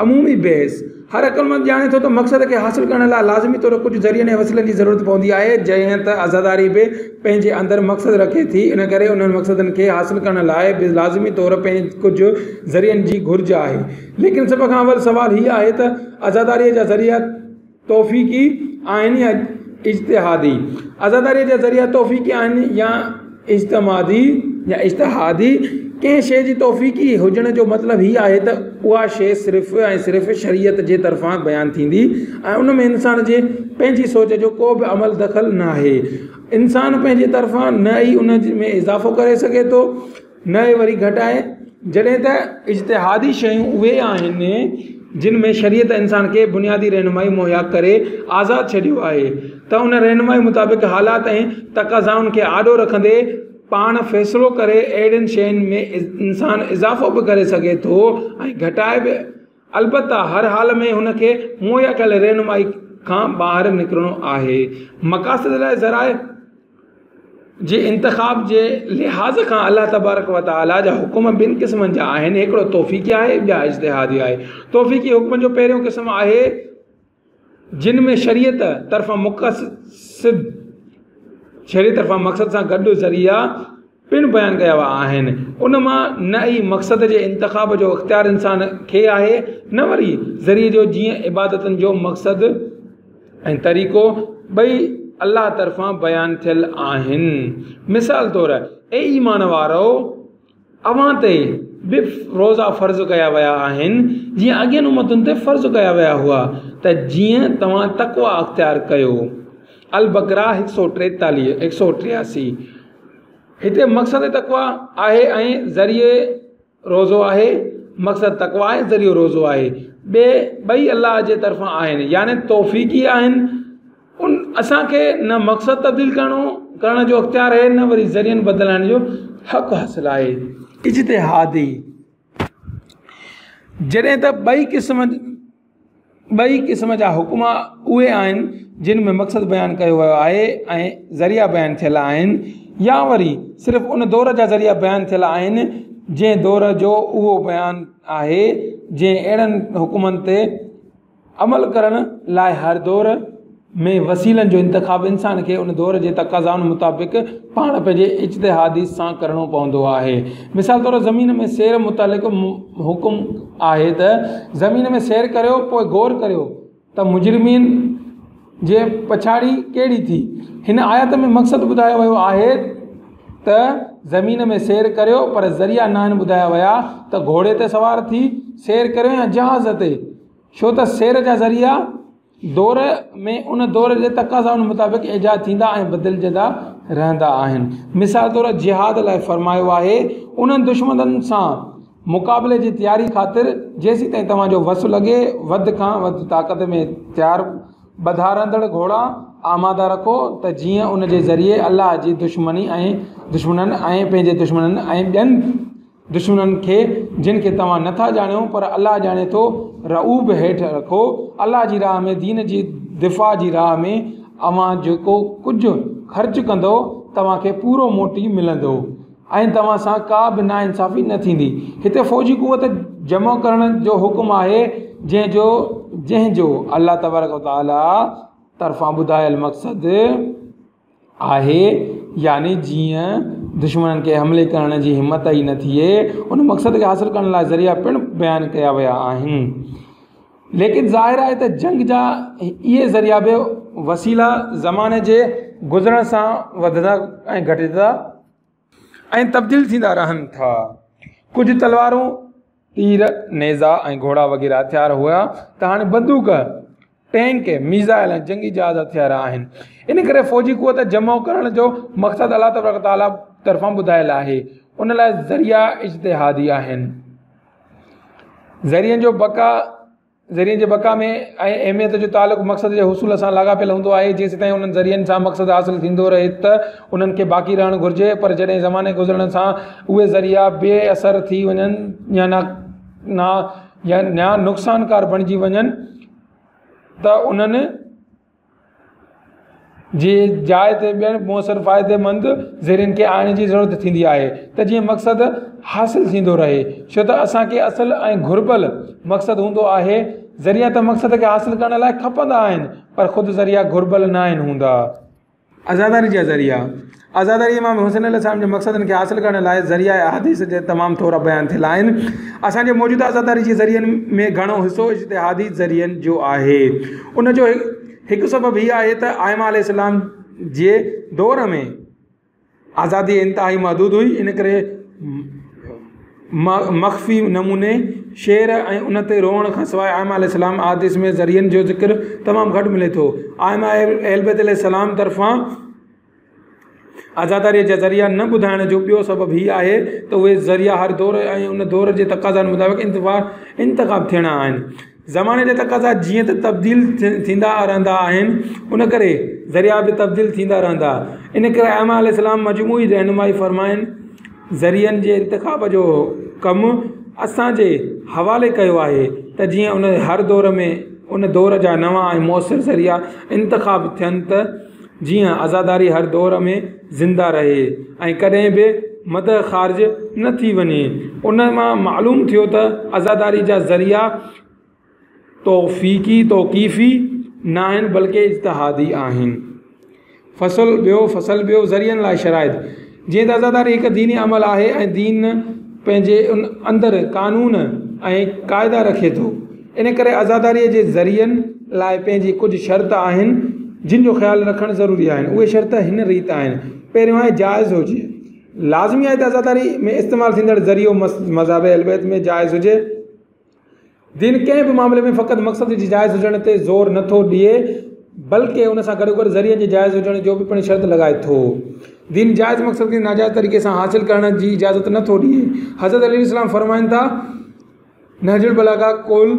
عمومي بحث، هر عقلمند ڄاڻي ٿو ته مقصد کي حاصل ڪرڻ لاء لازمي طور ڪجهه ذريعن ۽ وسيلن جي ضرورت پوندي آهي، جيئن ته عزاداري به پنهنجي اندر مقصد رکي ٿي، ان ڪري انهن مقصدن کي حاصل ڪرڻ لاء به لازمي طور ڪجهه ذريعن جي گهرج آهي. ليڪن سڀ کان اول سوال هي آهي ته عزاداريء جا ذريعا توفيقي آهن يا اجتهادي؟ عزاداريء جا ذريعا توفيقي آهن يا اجتمادي يا اجتهادي؟ ڪنهن شيء جي توفيقي هجڻ جو مطلب هي آهي ته اها شيء صرف ۽ صرف شريعت جي طرفان بيان ٿيندي ۽ ان ۾ انسان جي پنهنجي سوچ جو ڪو به عمل دخل ناهي. انسان پنهنجي طرفان نه ئي ان ۾ اضافو ڪري سگهي ٿو نه ئي وري گهٽائي، جڏهن ته اجتهادي شيون اهي آهن جن ۾ شريعت انسان کي بنيادي رهنمائي مهيا ڪري آزاد ڇڏيو آهي ته ان رهنمائي مطابق حالات ۽ تقاضائن کي آڏو رکندي پاڻ فيصلو ڪري. اهڙين شين ۾ انسان اضافو به ڪري سگهي ٿو ۽ گهٽائي به، البته هر حال ۾ هن کي مهيا ڪيل رهنمائي کان ٻاهر نڪرڻو آهي. مقاصد لاء ذرائع جي انتخاب جي لحاظ کان الله تبارڪ و تعاليٰ جا حڪم ٻن قسمن جا آهن، هڪڙو توفيقي آهي ٻيا اجتهادي آهي. توفيقي حڪمن جو پهريون قسم آهي جن ۾ شريعت طرفان مقصد شريعت طرفان مقصد سان گڏ ذريعا پڻ بيان ڪيا ويا آهن. ان مان نه ئي مقصد جي انتخاب جو اختيار انسان کي آهي نه وري ذريعي جو، جيئن عبادتن جو مقصد ۽ طريقو ٻئي الله طرفان بيان ٿيل آهن. مثال طور، اي ايمان وارؤ! اوهان تي به روزا فرض ڪيا ويا آهن، جيئن اڳين امتن تي فرض ڪيا ويا هئا، ته جيئن توهان تقويٰ اختيار ڪيو. البقره هڪ سؤ ٽيتاليهه، هڪ سؤ 83. هتي مقصد تقويٰ آهي ۽ ذريعي روزو آهي، مقصد تقويٰ ۽ ذريعو روزو آهي، ٻئي ٻئي الله جي طرفان آهن، يعني توفيقي آهن، ان اسان کي نه مقصد تبديل ڪرڻو ڪرڻ جو اختيار آهي نه وري ذريعن بدلائڻ جو حق حاصل آهي. اجتهادي جڏهن ته ٻئي قسم ٻئي قسم جا حڪم اهي آهن جن ۾ مقصد بيان ڪيو ويو آهي ۽ ذريعا بيان ٿيل آهن يا وري صرف ان دور جا ذريعا بيان ٿيل آهن جنهن دور جو اهو بيان آهي، جنهن اهڙن حڪمن تي عمل ڪرڻ لاء هر دور ۾ وسيلن جو انتخاب انسان کي ان دور جي تقاضائن مطابق پاڻ پنهنجي اجتهادي سان ڪرڻو پوندو آهي. مثال طور زمين ۾ سير متعلق حڪم آهي ته زمين ۾ سير ڪريو پوء غور ڪريو ته مجرمين جي پڇاڙي ڪهڙي ٿي. هن آيت ۾ مقصد ٻڌايو ويو آهي ته زمين ۾ سير ڪريو پر ذريعا ناهن ٻڌايا ويا ته گهوڙي تي سوار ٿي سير ڪريو يا جهاز تي، ڇو ته سير جا ذريعا دور ۾ ان دور جي تقاضائن مطابق ايجاد ٿيندا ۽ بدلجندا رهندا آهن. مثال طور جهاد لاء فرمايو آهي، انهن دشمنن سان مقابلي جي تياري خاطر جيسيتائين توهان جو وس لڳي وڌ کان وڌ طاقت ۾ تيار ٻڌا رهندڙ گهوڙا آماده رکو ته جيئن ان جي ذريعي الله جي دشمني ۽ دشمنن ۽ پنهنجي دشمنن ۽ ٻين دشمنن کي جن کي توهان نه ٿا ڄاڻو پر الله ڄاڻي ٿو، رعب هيٺ رکو. الله جي راهه ۾ دين جي دفاع جي راهه ۾ اوهان جيڪو ڪجهه خرچ ڪندؤ توهان کي پورو موٽي ملندو ۽ توهان سان ڪا به ناانصافي نه ٿيندي. هتي فوجي قوت جمع ڪرڻ جو حڪم آهي جنهن جو جنهن جو الله تبارڪ وتعاليٰ طرفان ٻڌايل مقصد آهي يعني جيئن دشمنن کي حملي ڪرڻ جي همت ئي نه ٿئي. ان مقصد کي حاصل ڪرڻ لاء ذريعا پڻ بيان ڪيا ويا آهن. ليڪن ظاهر آهي ته جنگ جا اهي ذريعا به وسيلا زماني جي گذرڻ سان وڌندا ۽ گهٽجندا ۽ تبديل ٿيندا رهن ٿا. ڪجهه تلوارون، تير، نيزا ۽ گهوڙا وغيره هٿيار هيا ته هاڻي بندوق، ٽينڪ، ميزائل ۽ جنگي جهاز هٿيار آهن. ان ڪري فوجي قوت جمع ڪرڻ جو مقصد الله تبارڪ وتعاليٰ طرفان ٻڌايل آهي. ان لاء ذريعا اجتهادي آهن. ذريعن جو بقا. ذريعن جي بقا ۾ ۽ اهميت جو تعلق مقصد جي حصول سان لاڳاپيل هوندو آهي. جيستائين انهن ذريعن سان مقصد حاصل ٿيندو رهي ته انهن کي باقي رهڻ گهرجي، پر جڏهن زماني گذرڻ سان اهي ذريعا بي اثر ٿي وڃن يا نقصانڪار بڻجي وڃن ته انهن جي جاء تي ٻين موثر فائديمند ذريعن کي آڻڻ جي ضرورت ٿيندي آهي ته جيئن مقصد حاصل ٿيندو رهي. ڇو ته اسان کي اصل ۽ گهربل مقصد هوندو آهي. ذريعا ته مقصد کي حاصل ڪرڻ لاء کپندا آهن پر خود ذريعا گهربل ناهن هوندا. عزاداري جا ذريعا، عزاداري امام حسين عليه السلام جي مقصدن کي حاصل ڪرڻ لاء ذريعا احاديث جا تمام ٿورا بيان ٿيل آهن. اسان جي موجوده عزاداري جي ذريعن ۾ گهڻو حصو اجتهادي ذريعن جو آهي. ان جو هڪ سبب هي آهي ته ائمه عليه السلام جي دور ۾ آزادي انتهائي محدود هئي، ان ڪري مخفي نموني شعر ۽ ان تي روئڻ کان سواء ائمه عليه السلام احاديث ۾ ذريعن جو ذڪر تمام گهٽ ملي ٿو. ائمه اهلبيت عليه السلام طرفان عزاداريء جا ذريعا نه ٻڌائڻ جو ٻيو سبب هي آهي ته اهي ذريعا هر دور ۽ ان دور جي تقاضائن مطابق انتخاب ٿيڻا آهن. زماني جا تقاضا جيئن ته تبديل ٿيندا رهندا آهن، ان ڪري ذريعا به تبديل ٿيندا رهندا. ان ڪري ائمه عليه السلام مجموعي رهنمائي فرمائن ذريعن جي انتخاب جو ڪم اسان جي حوالي ڪيو آهي ته جيئن ان هر دور ۾ ان دور جا نوان ۽ موثر ذريعا انتخاب ٿين ته جيئن عزاداري هر دور ۾ زنده رهي ۽ ڪڏهن به مد خارج نه ٿي وڃي. ان مان معلوم ٿيو ته عزاداري جا ذريعا توفيقي، توقيفي، ناهن بلڪه اجتهادي آهن. فصل ٻيو، فصل ٻيو، ذريعن لاء شرائط، جيئن ته عزاداري هڪ ديني عمل آهي ۽ دين پنهنجي اندر قانون ۽ قاعدا رکي ٿو، ان ڪري عزاداريء جي ذريعن لاء پنهنجي ڪجهه شرط آهن، جن جو خيال رکڻ ضروري آهن. اهي شرط هن ريت آهن. پهريون آهي جائز هجي. لازمي آهي ته عزاداري ۾ استعمال ٿيندڙ ذريعو مذهب اهلبيت ۾ جائز هجي. دين ڪنهن به معاملي ۾ فقط مقصد جي جائز هجڻ تي زور نه ٿو ڏئي، بلڪه ان سان گڏوگڏ ذريعن جي جائز هجڻ جو به پڻ شرط لڳائي ٿو. دين جائز مقصد کي ناجائز طريقي سان حاصل ڪرڻ جي اجازت نه ٿو ڏئي. حضرت علي عليه السلام فرمائن ٿا، نهج البلاغه قول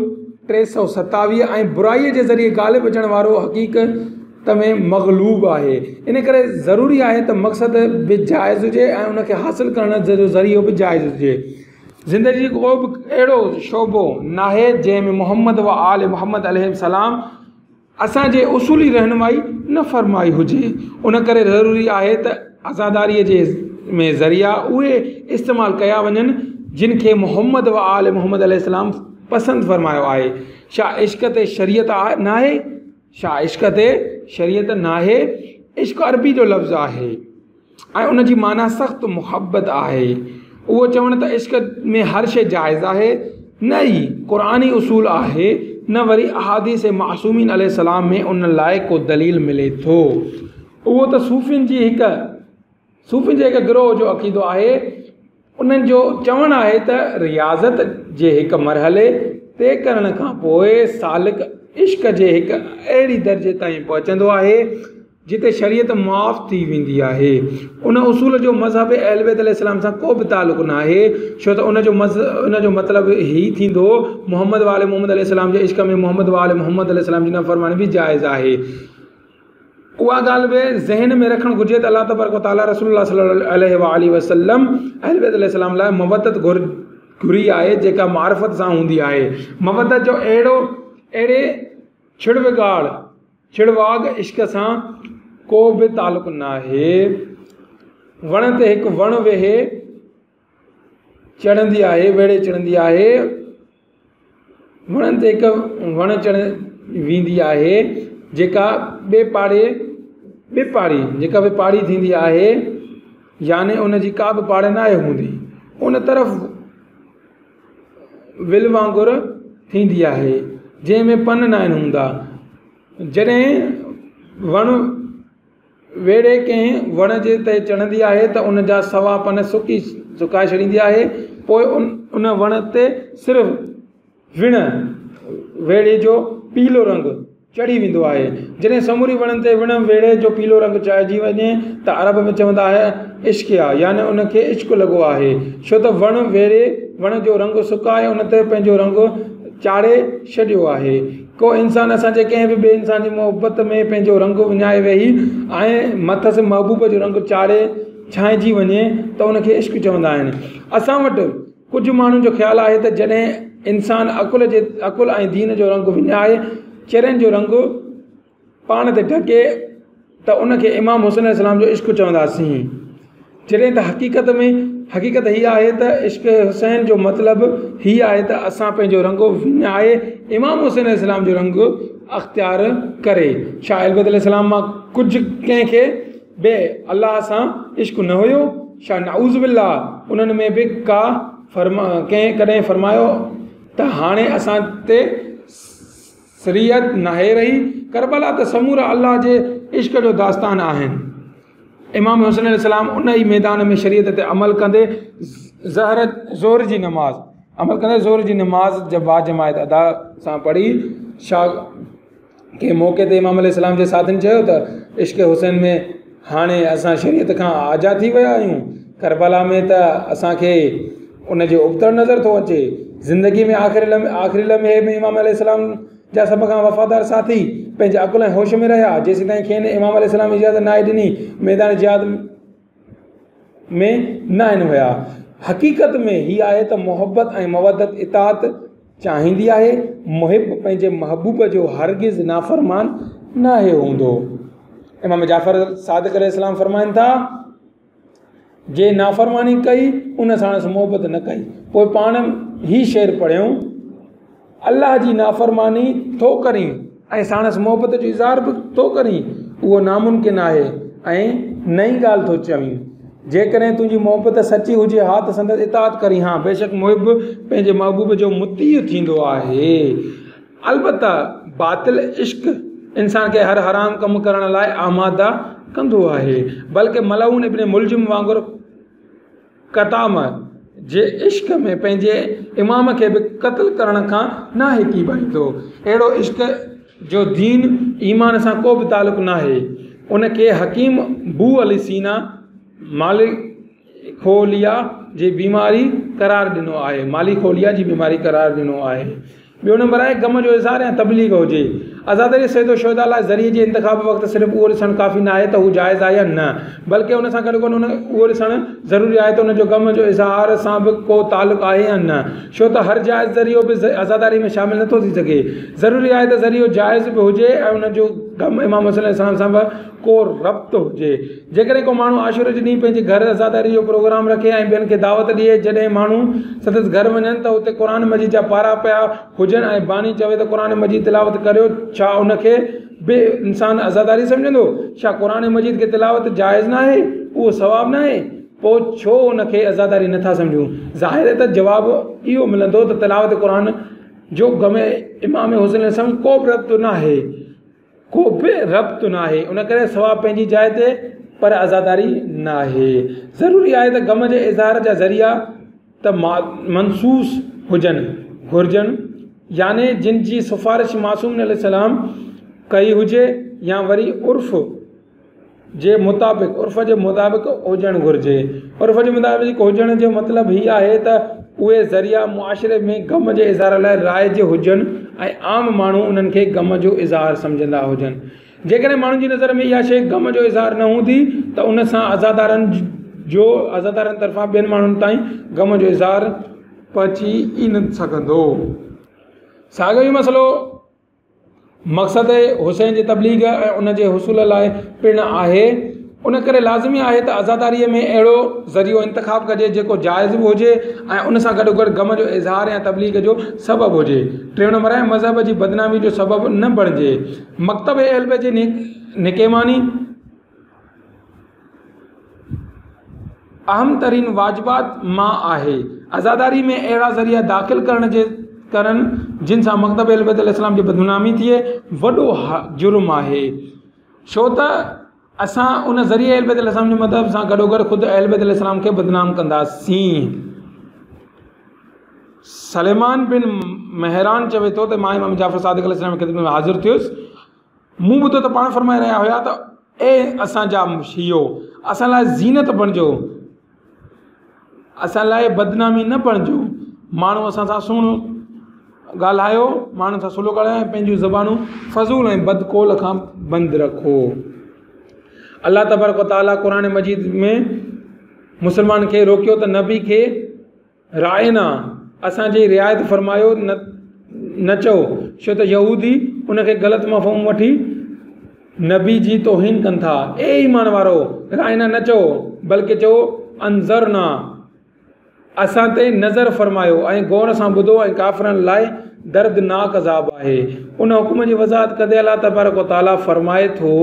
327 ۽ برائيء جي ذريعي غالب اچڻ وارو حقيقت ۾ مغلوب آهي. ان ڪري ضروري آهي ته مقصد به جائز هجي ۽ ان کي حاصل ڪرڻ جو ذريعو به جائز هجي. زندگيء جو ڪو به اهڙو شعبو ناهي جنهن ۾ محمد و آل محمد عليهم السلام اسان جي اصولي رهنمائي نه فرمائي هجي. ان ڪري ضروري آهي ته عزاداريء جي ۾ ذريعا اهي استعمال ڪيا وڃن جن کي محمد و آل محمد عليه السلام پسند فرمايو آهي. ڇا عشق تي شريعت ناهي؟ ڇا عشق تي شريعت ناهي؟ عشق عربي جو لفظ آهي. ۽ ان جي معنيٰ سخت محبت آهي. اهو چوڻ ته عشق ۾ هر شيء جائز آهي نه ئي قرآني اصول آهي نه وري احاديث معصومين عليه السلام ۾ ان لاء ڪو دليل ملي ٿو. اهو ته صوفين جي هڪ صوفين جي هڪ گروهه جو عقيدو آهي. انهن جو چوڻ آهي ته رياضت جي هڪ مرحلي طئي ڪرڻ کان پوء سالڪ عشق جي هڪ اهڙي درجي تائين پهچندو آهي جتي شريعت معاف ٿي ويندي آهي. ان اصول جو مذهب اهل بيت عليه السلام سان ڪو به تعلق ناهي ڇو ته ان جو ان جو مطلب هي ٿيندو محمد وآل محمد عليه السلام جي عشق ۾ محمد وآل محمد عليه السلام جي نافرماني به جائز آهي. اها ڳالهه به ذهن ۾ رکڻ گهرجي ته الله تبارڪ وتعاليٰ رسول الله صلي الله عليه وآله وسلم اهل بيت عليه السلام لاء مودت گهري آهي جيڪا معرفت سان هوندي آهي. مودت جو اهڙو اهڙي ڇڙوگاڙ ڇڙواڳ عشق سان ڪو به تعلق ناهي. وڻ تي هڪ وڻ ويهي چڙهندي آهي ويڙهي چڙهندي آهي. وڻن تي هڪ وڻ چڙهي ويندي آهي جيڪا ٻي پاڙي ٻي پاڙي جيڪا به پاڙي ٿيندي آهي يعني ان جي ڪا به پاڙ ناهي هوندي ان طرف ول وانگر ٿيندي آهي جنهن ۾ پن ناهن هوندا جڏهن وڻ ويڙهي ڪنهن وڻ جي تي چڙهندي آهي ته ان جا سوا پن سڪي سڪائي ڇڏيندي آهي پوء ان وڻ تي صرف وڻ ويڙهي جو پيلو رنگ چڙهي ويندو آهي جڏهن سموري وڻن تي وڻ ويڙهي جو پيلو رنگ چڙهجي وڃي ته عرب ۾ چوندا آهن عشقيا يعني ان کي عشق لڳو آهي ڇو ته وڻ ويڙهي وڻ جو رنگ سڪائي ان تي پنهنجو رنگ چاڙهي ڇڏيو آهي. ڪو انسان اسان جي ڪنهن به ٻئي انسان جي محبت ۾ پنهنجو رنگ وڃائي ويهي ۽ مٿس محبوب جو رنگ چاڙهي ڇانئجي وڃي ته ان کي عشق چوندا آهن. اسان وٽ ڪجهه ماڻهن جو خيال آهي ته جڏهن انسان عقل جي عقل ۽ دين جو رنگ وڃائي چرين جو رنگ پاڻ تي ڍڪي ته ان کي امام حسين عليه السلام جو عشق چونداسين. جڏهن ته حقيقت ۾ حقيقت هي آهي ته عشق حسين جو مطلب هي آهي ته اسان پنهنجو رنگ وڃائي امام حسين عليه السلام جو رنگ اختيار ڪري. ڇا اهل بيت عليه السلام مان ڪجهه ڪنهن کي به الله سان عشق نه هيو؟ ڇا نعوذ بالله انهن ۾ به ڪا فرما ڪنهن ڪڏهن فرمايو ته هاڻي اسان تي شريعت ناهي رهي. ڪربلا ته سمورا الله جي عشق جو داستان آهن. امام حسين عليه السلام ان ئي ميدان ۾ شريعت تي عمل ڪندي ظهر ظهر جي نماز عمل ڪندي ظهر جي نماز باجماعت ادا سان پڙهي. شا ڪنهن موقعي تي امام عليه السلام جي ساٿين چيو ته عشق حسين ۾ هاڻي اسان شريعت کان آجا ٿي ويا آهيون. ڪربلا ۾ ته اسان کي ان جو ابتڙ نظر ٿو اچي. زندگي ۾ آخري لمحي آخري لمحي ۾ امام عليه السلام جا سڀ کان وفادار ساٿي پنهنجي عقل ۽ هوش ۾ رهيا، جيسيتائين کين امام عليه السلام اجازت ناهي ڏني، ميدان جهاد ۾ ناهن ويا. حقيقت ۾ هي آهي ته محبت ۽ مودت اطاعت چاهيندي آهي. محب پنهنجي محبوب جو هرگز نافرمان ناهي هوندو. امام جعفر صادق عليه السلام فرمائن ٿا. جنهن نافرماني ڪئي ان ساڻس محبت نه ڪئي. پوء پاڻ هي شعر پڙهيائون، الله جي نافرماني ٿو ڪرين ۽ ساڻس محبت جو اظهار به ٿو ڪرين، اهو ناممڪن آهي ۽ نئين ڳالهه ٿو چوين. جيڪڏهن تنهنجي محبت سچي هجي ها ته سندس اطاعت ڪرين ها. بيشڪ محب پنهنجي محبوب جو مطيع ٿيندو آهي. البته باطل عشق انسان کي هر حرام ڪم ڪرڻ لاء آماده ڪندو آهي، بلڪه ملعون ابن ملجم وانگر قطامه جي عشق ۾ پنهنجي امام کي به قتل ڪرڻ کان ناهي ڪيٻائيندو. اهڙو عشق جو دين ايمان سان ڪو به تعلق ناهي. ان کي حڪيم بو علي سينا ماليخوليا جي بيماري قرار ڏنو آهي. ماليخوليا جي بيماري قرار ڏنو آهي. ٻيو نمبر آهي غم جو اظهار يا تبليغ هجي. عزاداري سيد الشهداء لاء ذريعي جي انتخاب وقت صرف اهو ڏسڻ ڪافي ناهي ته هو جائز آهي يا نه بلڪه ان سان گڏوگڏ ان اهو ڏسڻ ضروري آهي ته ان جو غم جو اظهار سان به ڪو تعلق آهي يا نه ڇو ته هر جائز ذريعو به عزاداري ۾ شامل نٿو ٿي سگهي. ضروري آهي ته ذريعو جائز به هجي ۽ ان جو غم امام حسين عليه السلام سان به ڪو ربط هجي. جيڪڏهن ڪو ماڻهو عاشوري جي ڏينهن پنهنجي گهر عزاداري جو پروگرام رکي ۽ ٻين کي دعوت ڏئي، جڏهن ماڻهو سندس گهر وڃن ته اتي قرآن مجيد جا پارا پيا هجن ۽ باني چوي ته قرآن مجيد تلاوت ڪريو، ڇا ان کي به انسان عزاداري سمجهندو؟ ڇا قرآن مجيد کي تلاوت جائز ناهي؟ اهو ثواب ناهي؟ پوء ڇو ان کي عزاداري نٿا سمجهون؟ ظاهر آهي ته جواب اهو ملندو ته تلاوت قرآن جو غم امام حسين عليه السلام ڪو به ربط ناهي. ڪو به ربط ناهي، ان ڪري ثواب پنهنجي جاء تي پر عزاداري ناهي. ضروري آهي ته غم جي اظهار جا ذريعا ته منصوص هجن گهرجن يعني جن جي سفارش معصوم عليه السلام ڪئي هجي يا وري عرف جي مطابق عرف جي مطابق هجڻ گهرجي. عرف جي مطابق هجڻ جو مطلب هي آهي ته اهي ذريعا معاشري ۾ غم جي اظهار لاء رائج هجن ۽ عام ماڻهو انهن کي غم جو اظهار سمجهندا هجن. جيڪڏهن ماڻهن جي نظر ۾ اها شيء غم جو اظهار نه هوندي ته ان سان عزادارن جو عزادارن طرفان ٻين ماڻهن تائين غم جو اظهار پهچي ئي نه سگهندو. ساڳيو ئي مسئلو. مقصد حسين جي تبليغ ۽ ان جي حصول لاء پڻ آهي. ان ڪري لازمي آهي ته عزاداريء ۾ اهڙو ذريعو انتخاب ڪجي جيڪو جائز به هجي ۽ ان سان گڏوگڏ غم جو اظهار يا تبليغ جو سبب هجي. ٽيون نمبر آهي مذهب جي بدنامي جو سبب نه بڻجي. مڪتب اهل بيت جي نڪيماني. اهم ترين واجبات مان آهي. عزاداري ۾ اهڙا ذريعا داخل ڪرڻ جي ڪرڻ جن سان مڪتب اهل بيت عليه السلام جي بدنامي ٿئي وڏو جرم آهي ڇو ته اسان ان ذريعي اهل بيت عليه السلام جي مذهب سان گڏوگڏ خود اهل بيت عليه السلام کي بدنام ڪنداسين. سليمان بن مهران چوي ٿو ته مان امام جعفر صادق عليه السلام جي خدمت ۾ حاضر ٿيس. مون ٻڌو ته پاڻ فرمائي رهيا هيا ته اي اسان جا شيعو! اسان لاء زينت بڻجو، اسان لاء بدنامي نه بڻجو، ماڻهو اسان سان سهڻو ڳالهايو، ماڻهن سان سولو ڳالهايو ۽ پنهنجون زبانون فضول ۽ بدقول کان بند رکو. الله تبارڪ وتعاليٰ قرآن مجيد ۾ مسلمان کي روڪيو ته نبي کي راعنا، اسان جي رعايت فرمايو، نه چئو، ڇو ته يهودي ان کي غلط مفهوم وٺي نبي جي توهين ڪن ٿا. اي ايمان وارؤ! راعنا نه چئو، بلڪه چئو انظرنا، اسان تي نظر فرمايو ۽ غور سان ٻڌو ۽ ڪافرن لاء دردناڪ عذاب آهي. ان حڪم جي وضاحت ڪندي الله تبارڪ و تعاليٰ فرمائي ٿو.